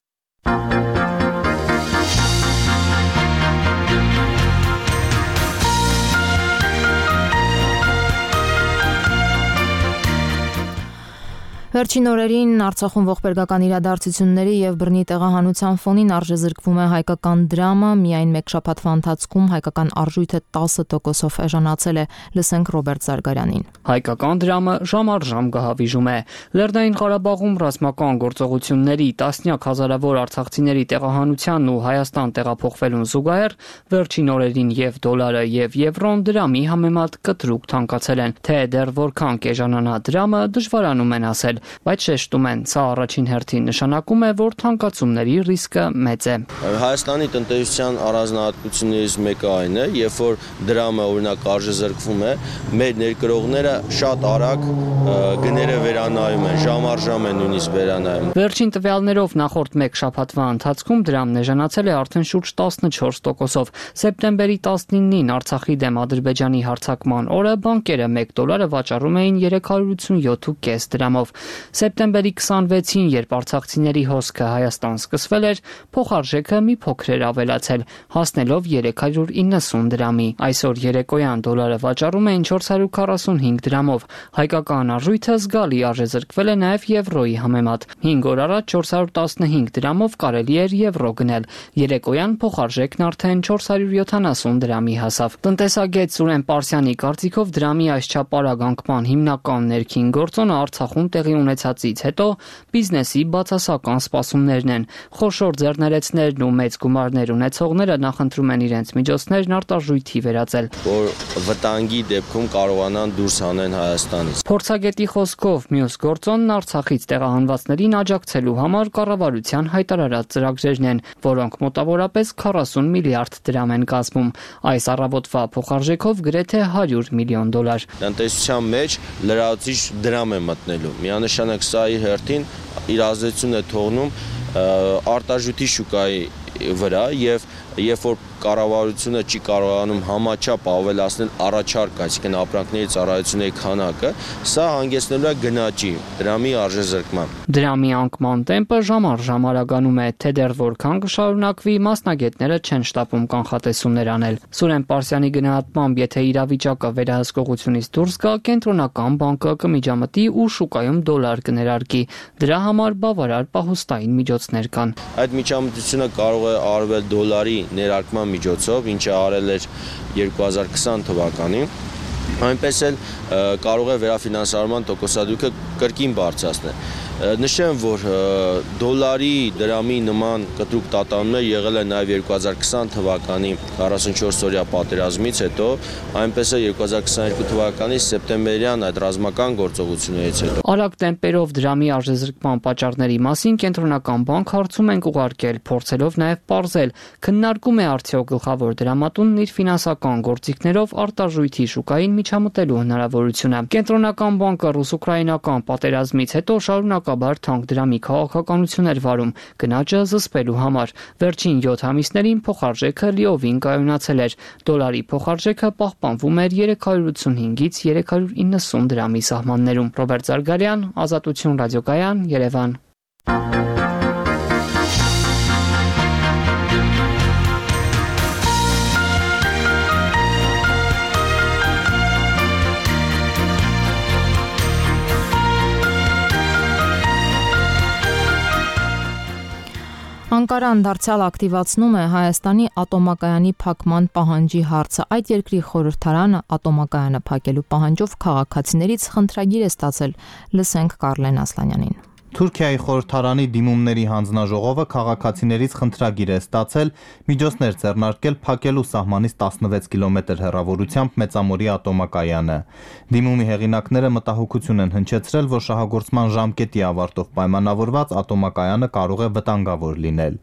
Վերջին օրերին Արցախում ողբերգական իրադարձությունների եւ բռնի տեղահանության ֆոնին արժեզրկվում է հայկական դրամը, միայն մեկ շաբաթվա ընթացքում հայկական արժույթը տասը տոկոսով էժանացել է, լսենք Ռոբերտ Զարգարյանին։ Հայկական դրամը ժամ առ ժամ գահավիժում է։ Լեռնային Ղարաբաղում ռազմական գործողությունների տասնյակ հազարավոր արցախցիների տեղահանությանն ու Հայաստան տեղափոխվելուն զուգահեռ վերջին օրերին եւ դոլարը եւ եվրոն դրամի համեմատ կտրուկ թանկացել են, թե դեռ որքան կեժանանա դրամը դժվարանում են ասել, բայց շեշտում են, սա առաջին հերթին նշանակում է, որ թանկացումների ռիսկը մեծ է։ Հայաստանի տնտեսության առանձնահատկություններից մեկը այն է, երբ որ դրամը օրինակ արժեզրկվում է, մեր ներկրողները շատ արագ գները վերանայում են, ժամ առ ժամ են նույնիսկ վերանայում։ Վերջին տվյալներով նախորդ մեկ շաբաթվա ընթացքում դրամն էժանացել է արդեն շուրջ տասնչորս տոկոսով։ Սեպտեմբերի տասնինին Արցախի դեմ Ադրբեջանի հարձակման օրը բանկերը մեկ դոլարը վաճառում էին երեք հարյուր ութսունյոթ ու կես դրամով։ Սեպտեմբերի քսանվեցին, երբ արցախցիների հոսքը Հայաստան սկսվել էր, փոխարժեքը մի փոքր էր ավելացել, հասնելով երեք հարյուր իննսուն դրամի։ Այսօր երեկոյան դոլարը վաճառում էին չորս հարյուր քառասունհինգ դրամով։ Հայկական արժույթը զգալի արժեզրկվել է նաև եվրոյի համեմատ։ հինգ օր առաջ չորս հարյուր տասնհինգ դրամով կարելի էր եվրո գնել։ Երեկոյան փոխարժեքն արդեն չորս հարյուր յոթանասուն դրամի հասավ։ Տնտեսագետ Սուրեն Պարսյանի կարծիքով դրամի այսչափ արագ անկման հիմնական ներքին գործոնը Արցախում տեղի ունեցածից հետո բիզնեսի բացասական սպասումներն են։ Խոշոր ձեռներեցներն ու մեծ գումարներ ունեցողները նախընտրում են իրենց միջոցներն արտարժույթի վերածել, որ վտանգի դեպքում կարողանան դուրս հանեն Հայաստանից։ Փորձագետի խոսքով մյուս գործոնն Արցախից տեղահանվածներին աջակցելու համար կառավարության հայտարարած ծրագրերն են, որոնք մոտավորապես քառասուն միլիարդ դրամ են կազմում։ Այս առավոտվա փոխարժեքով գրեթե հարյուր միլիոն դոլար։ Տնտեսության մեջ լրացուցիչ դրամ է մտնելու։ Միանշանակ սա իր հերթին իր ազդեցությունն է թողնում արտարժույթի շուկայի վրա եւ երբ որ կառավարությունը չի կարողանում համաչափ ավելացնել առաջարկ, այսինքն ապրանքների ծառայությունների քանակը, սա հանգեցնելու է գնաճի, դրամի արժեզրկման։ Դրամի անկման տեմպը ժամ առ ժամ արագանում է, թե դեռ որքան կշարունակվի, մասնագետները չեն շտապում կանխատեսումներ անել։ Սուրեն Պարսյանի գնահատմամբ, եթե իրավիճակը վերահսկողությունից դուրս գա, կենտրոնական բանկը կմիջամտի ու շուկայում դոլար կներարկի։ Դրա համար բավարար պահուստային միջոցներ կան։ Այդ միջամտությունը կարող է արվել դոլարի ներարկման միջոցով, ինչը արել էր երկու հազար քսան թվականին, այնպես էլ կարող է վերաֆինանսավորման տոկոսադրույքը կրկին բարձրացնել։ Նշեմ, որ դոլարի դրամի նման կտրուկ տատանումներ եղել է նաև երկու հազար քսան թվականի քառասունչորս օրյա պատերազմից հետո, այնպես է երկու հազար քսաներկու թվականի սեպտեմբերյան այդ ռազմական գործողություններից հետո։ Արագ տեմպերով դրամի արժեզրկման պատճառների մասին կենտրոնական բանկ հարցում ենք ուղարկել, փորձելով նաև պարզել, քննարկում է արդյոք գլխավոր դրամատունն իր ֆինանսական գործիքներով արտարժույթի շուկային միջամտելու հնարավորությունը։ Կենտրոնական բանկը ռուս-ուկրաինական պատերազմից հետո շարունակաբար թանկ դրամի քաղաքականություն էր վարում, գնաճը զսպելու համար։ Վերջին յոթ ամիսներին փոխարժեքը լիովին կայունացել էր։ Դոլարի փոխարժեքը պահպանվում էր երեք հարյուր ութսունհինգից երեք հարյուր իննսուն դրամի սահմաններում։ Ռոբերտ Զարգարյան, Ազատություն ռադիոկայան, Երևան։ Անկարան դարձյալ ակտիվացնում է Հայաստանի ատոմակայանի փակման պահանջի հարցը։ Այդ երկրի խորհրդարանը ատոմակայանը փակելու պահանջով քաղաքացիներից խնդրագիր է ստացել։ Լսենք Կարլեն Ասլանյանին։ Թուրքիայի խորհրդարանի դիմումների հանձնաժողովը քաղաքացիներից խնդրագիր է ստացել միջոցներ ձեռնարկել փակելու սահմանից տասնվեց կիլոմետր հեռավորությամբ Մեծամորի ատոմակայանը։ Դիմումի հեղինակները մտահոգություն են հնչեցրել, որ շահագործման ժամկետի ավարտով պայմանավորված ատոմակայանը կարող է վտանգավոր լինել։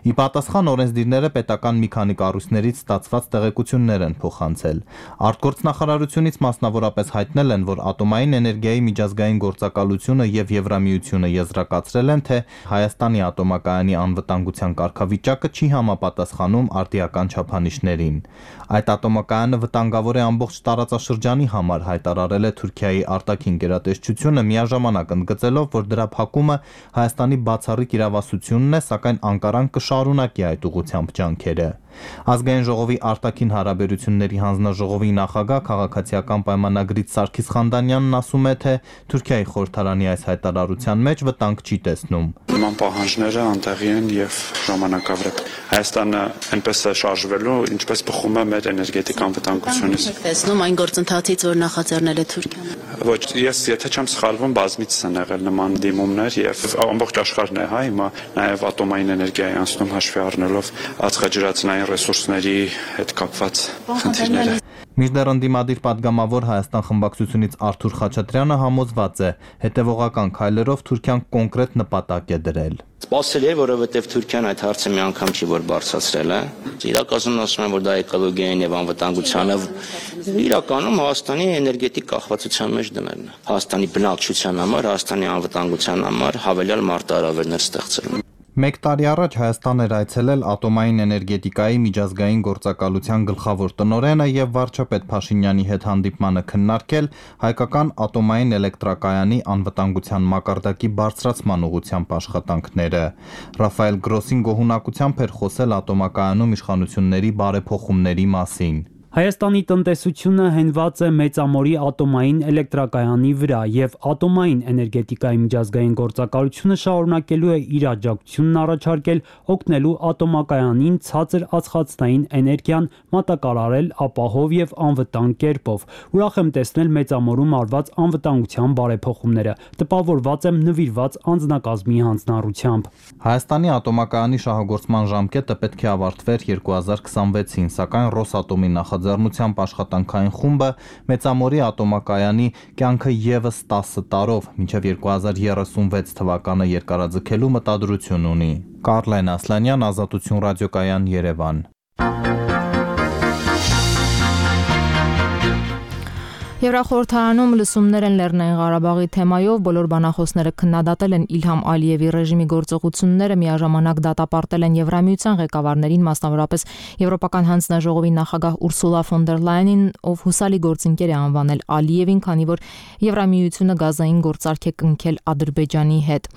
Ի պատասխան օրենսդիրները պետական մի քանի կառույցներից ստացված տեղեկություններ են փոխանցել։ Արտգործնախարարությունից մասնավորապես հայտնել են, որ ատոմային էներգիայի միջազգային գործակալությունը եւ Եվրամիությունը եզրակացրել են, թե Հայաստանի ատոմակայանի անվտանգության կարգավիճակը չի համապատասխանում արտիական չափանիշներին։ Այդ ատոմակայանը վտանգավոր է ամբողջ տարածաշրջանի համար, հայտարարել է Թուրքիայի արտաքին գերատեսչությունը, միաժամանակ ընդգծելով, որ դրա փակումը Հայաստանի բացառիկ իրավասությունն է, սակայն Անկարան կշարունակի այդ ուղղությամբ ջանքերը։ Ազգային ժողովի արտաքին հարաբերությունների հանձնաժողովի նախագահ քաղաքացիական պայմանագրից Սարգիս Խանդանյանն ասում է, թե Թուրքիայի խորհրդարանի այս հայտարարության մեջ վտանգ չի տեսնում։ Նման պահանջները անտեղի են եւ ժամանակավրեպ։ Հայաստանը այնպես է շարժվելու, ինչպես բխում է մեր էներգետիկ անվտանգությունից։ Տեսնում այն գործընթացից, որ նախաձեռնել է Թուրքիան։ Ոչ, ես եթե չեմ սխալվում, բազմիցս են եղել նման դիմումներ եւ ամբողջ աշխարհն է, հա, հիմա նաեւ ատոմային էներգիայի անցնում հաշվի առնելով ածխաջրածնային ռեսուրսների հետ կապված խնդիրները։ Մինչդեռ ընդդիմադիր պատգամավոր Հայաստան խմբակցությունից Արթուր Խաչատրյանը համոզված է, հետևողական քայլերով Թուրքիան կոնկրետ նպատակ է դրել։ Սպասելի է, որովհետև Թուրքիան այդ հարցը մի անգամ չի որ բարձրացրել է։ Իրականում ասում են, որ դա էկոլոգիային եւ անվտանգությանը իրականում Հայաստանի էներգետիկ կախվածության մեջ դնելն է։ Հայաստանի բնակչության համար, Հայաստանի անվտանգության համար հավելյալ մարտահրավերներ ստեղծելն։ Մեկ տարի առաջ Հայաստան էր այցելել ատոմային էներգետիկայի միջազգային գործակալության գլխավոր տնօրենը եւ վարչապետ Փաշինյանի հետ հանդիպմանը քննարկել հայկական ատոմային էլեկտրակայանի անվտանգության մակարդակի բարձրացման ուղղությամբ աշխատանքները։ Ռաֆայել Գրոսին գոհունակությամբ էր խոսել ատոմակայանում իշխանությունների բարեփոխումների մասին։ Հայաստանի տնտեսությունը հենված է Մեծամորի ատոմային էլեկտրակայանի վրա եւ ատոմային էներգետիկայի միջազգային գործակալությունը շարունակելու է իր աջակցությունն առաջարկել օգնելու ատոմակայանին ցածր ածխածնային էներգիան մատակարարել ապահով եւ անվտանգ կերպով։ Ուրախ եմ տեսնել Մեծամորում արված անվտանգության բարեփոխումները։ Տպավորված եմ նվիրված անձնակազմի հանձնառությամբ։ Հայաստանի ատոմակայանի շահագործման ժամկետը պետք է ավարտվեր երկու հազար քսանվեցին, սակայն Ռոսատոմի նախաձեռնությամբ Ձեռնությամբ աշխատանքային խումբը Մեծամորի ատոմակայանի կյանքը եւս տասը տարով մինչեւ երկու հազար երեսունվեց թվականը երկարաձգելու մտադրություն ունի։ Կարլեն Ասլանյան, Ազատություն ռադիոկայան, Երևան։ Եվրախորհրդարանում լսումներ են Լեռնային Ղարաբաղի թեմայով, բոլոր բանախոսները քննադատել են Իլհամ Ալիևի ռեժիմի գործողությունները, միաժամանակ դատապարտել են Եվրամիության ղեկավարներին, մասնավորապես Եվրոպական հանձնաժողովի նախագահ Ուրսուլա ֆոն դեր Լայենին, ով հուսալի գործընկեր է անվանել Ալիևին, քանի որ Եվրամիությունը գազային գործարք է կնքել Ադրբեջանի հետ։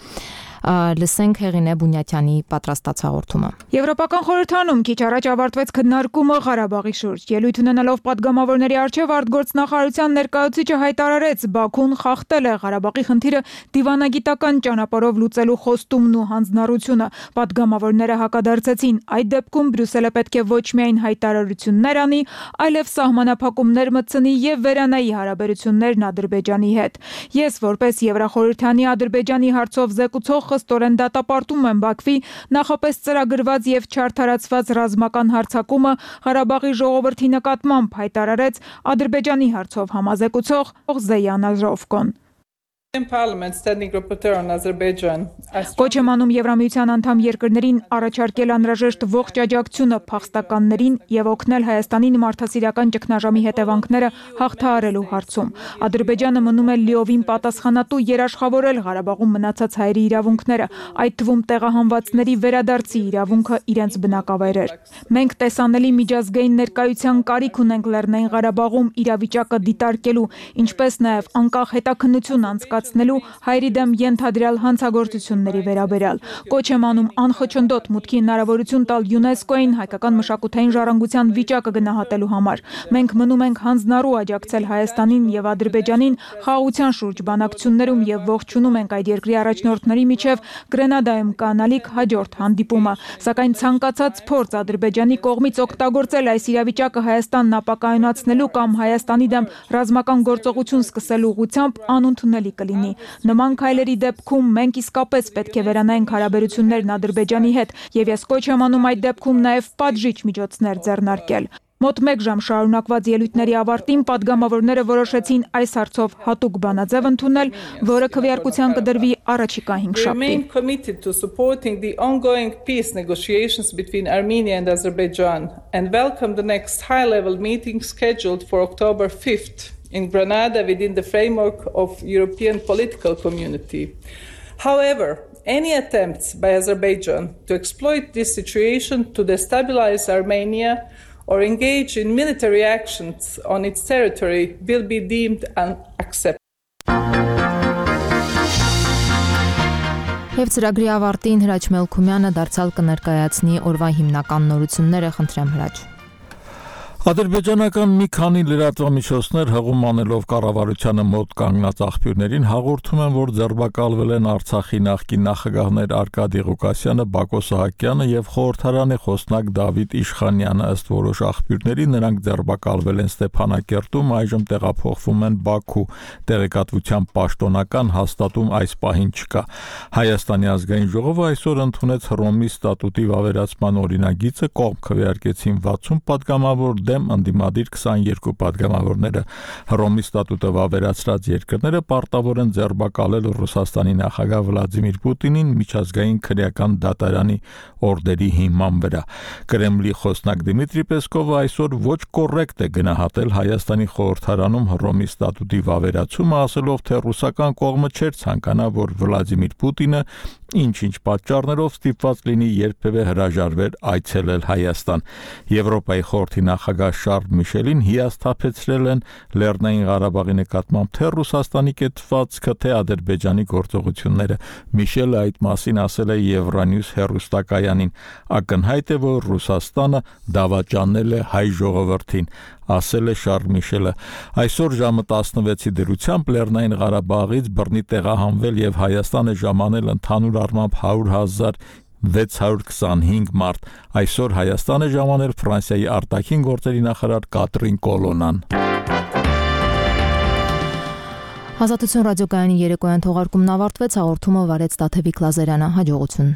Լսենք Հեղինե Բունյատյանի պատրաստած հաղորդումը։ Եվրոպական խորհրդարանում քիչ առաջ ավարտվեց քննարկումը Ղարաբաղի շուրջ։ Ելույթ ունենալով պատգամավորների առջև արտգործնախարարության ներկայացուցիչը հայտարարեց, Բաքուն խախտել է Ղարաբաղի խնդիրը դիվանագիտական ճանապարհով լուծելու խոստումն ու հանձնառությունը։ Պատգամավորները հակադարձեցին, այդ դեպքում Բրյուսելը պետք է ոչ միայն հայտարարություններ անի, այլև սահմանափակումներ մտցնի եւ վերանայի հարաբերություններն Ադրբեջանի հետ։ Ես որպես Եվրախորհրդանի Ադրբեջանի հարցով զեկուցող խստորեն դատապարտում են Բաքվի նախապես ծրագրված եւ չարդարացված ռազմական հարձակումը Ղարաբաղի ժողովրդի նկատմամբ, հայտարարեց Ադրբեջանի հարցով համազեկուցող Զեյան Ազրովկոն։ Կոչ եմ անում Եվրամիության անդամ երկրներին առաջարկել անհրաժեշտ ողջ աջակցությունը փախստականներին եւ օգնել Հայաստանին մարդասիրական ճգնաժամի հետևանքները հաղթահարելու հարցում։ Ադրբեջանը մնում է լիովին պատասխանատու երաշխավորել Ղարաբաղում մնացած հայերի իրավունքները, այդ թվում տեղահանվածների վերադարձի իրավունքը իրենց բնակավայրեր։ Մենք տեսանելի միջազգային ներկայության կարիք ունենք Լեռնային Ղարաբաղում իրավիճակը դիտարկելու, ինչպես նաեւ անկախ հետաքննություն անցկացնելու հայերի դեմ ենթադրյալ հանցագործությունների վերաբերյալ։ Կոչ եմ անում անխոչնդոտ մուտքի հնարավորություն տալ ՅՈՒՆԵՍԿՕ-ին հայկական մշակութային ժառանգության վիճակը գնահատելու համար։ Մենք մնում ենք հանձնառու աջակցել Հայաստանին եւ Ադրբեջանին խաղաղության շուրջ բանակցություններում եւ ողջունում ենք այդ երկրի առաջնորդների միջև Գրենադայում կանալիք հաջորդ հանդիպումը։ Սակայն ցանկացած փորձ Ադրբեջանի կողմից օգտագործել այս իրավիճակը Հայաստանն ապակայունացնելու կամ Հայաստանի դեմ ռազմական գործողություն սկսելու ուղղությամբ անընդունելի կլինի։ Նման քայլերի դեպքում մենք իսկապես պետք է վերանայենք հարաբերություններն Ադրբեջանի հետ եւ ես կոչ եմ անում այդ դեպքում նաեւ պատժիչ միջոցներ ձեռնարկել։ Մոտ մեկ ժամ շարունակված ելույթների ավարտին պատգամավորները որոշեցին այս հարցով հատուկ բանաձև ընդունել, որը քվեարկության կդրվի առաջիկա հինգ շաբթի։ In Granada within the framework of European political community. However, any attempts by Azerbaijan to exploit this situation to destabilize Armenia or engage in military actions on its territory will be deemed unacceptable. Եվ ծրագրի ավարտին Հրաչ Մելքումյանը դարձյալ կներկայացնի օրվա հիմնական նորությունները, խնդրեմ Հրաչ։ Ադրբեջանական մի քանի լրատվամիջոցներ հղում անելով կառավարությանը մոտ կանգնած աղբյուրներին հաղորդում են, որ ձերբակալվել են Արցախի նախկին նախագահներ Արկադի Ղուկասյանը, Բակո Սահակյանը եւ խորհրդարանի խոսնակ Դավիթ Իշխանյանը, ըստ որոշ աղբյուրների նրանք ձերբակալվել են Ստեփանակերտում, այժմ տեղափոխվում են Բաքու։ Տեղեկատվության պաշտոնական հաստատում այս պահին չկա։ Հայաստանի ազգային ժողովը այսօր ընդունեց Հռոմի ստատուտի վավերացման օրինագիծը, կողմ քվեարկեցին վաթսուն պատգամավոր, դեմ ընդդիմադիր քսաներկու պատգամավորները։ Հռոմի ստատուտը վավերացրած երկրները պարտավոր են ձերբակալել Ռուսաստանի նախագահ Վլադիմիր Պուտինին միջազգային քրեական դատարանի օրդերի հիման վրա։ Կրեմլի խոսնակ Դիմիտրի Պեսկովը այսօր ոչ կոռեկտ է գնահատել Հայաստանի խորհրդարանում Հռոմի ստատուտի վավերացումը, ասելով, թե ռուսական կողմը չէր ցանկանա, որ Վլադիմիր Պուտինը ինչ-ինչ պատճառներով ստիպված լինի երբևէ հրաժարվեր այցելել Հայաստան։ Եվրոպայի խորհրդի նախագահ Շարլ Միշելին հիասթափեցրել են Լեռնային Ղարաբաղի նկատմամբ թե Ռուսաստանի կեցվածքը, թե Ադրբեջանի գործողությունները։ Միշելը այդ մասին ասել է Евronewс հեռուստակայանին։ Ակնհայտ է, որ Ռուսաստանը դավաճանել է հայ ժողովրդին, ասել է Շարլ Միշելը։ Այսօր ժամը տասնվեցի դրությամբ Լեռնային Ղարաբաղից բռնի տեղահանվել եւ Հայաստանը ժամանել ընդհանուր առմամբ հարյուր հազար վեց հարյուր քսանհինգ մարդ։ Այսօր Հայաստանը ժամանել Ֆրանսիայի արտաքին գործերի նախարար Կատրին Կոլոնան։ Ազատություն ռադիոկայանի երեկոյան թողարկումն ավարտվեց, հաղորդումը վարեց Տաթևիկ Լազարյանը, հաջողություն։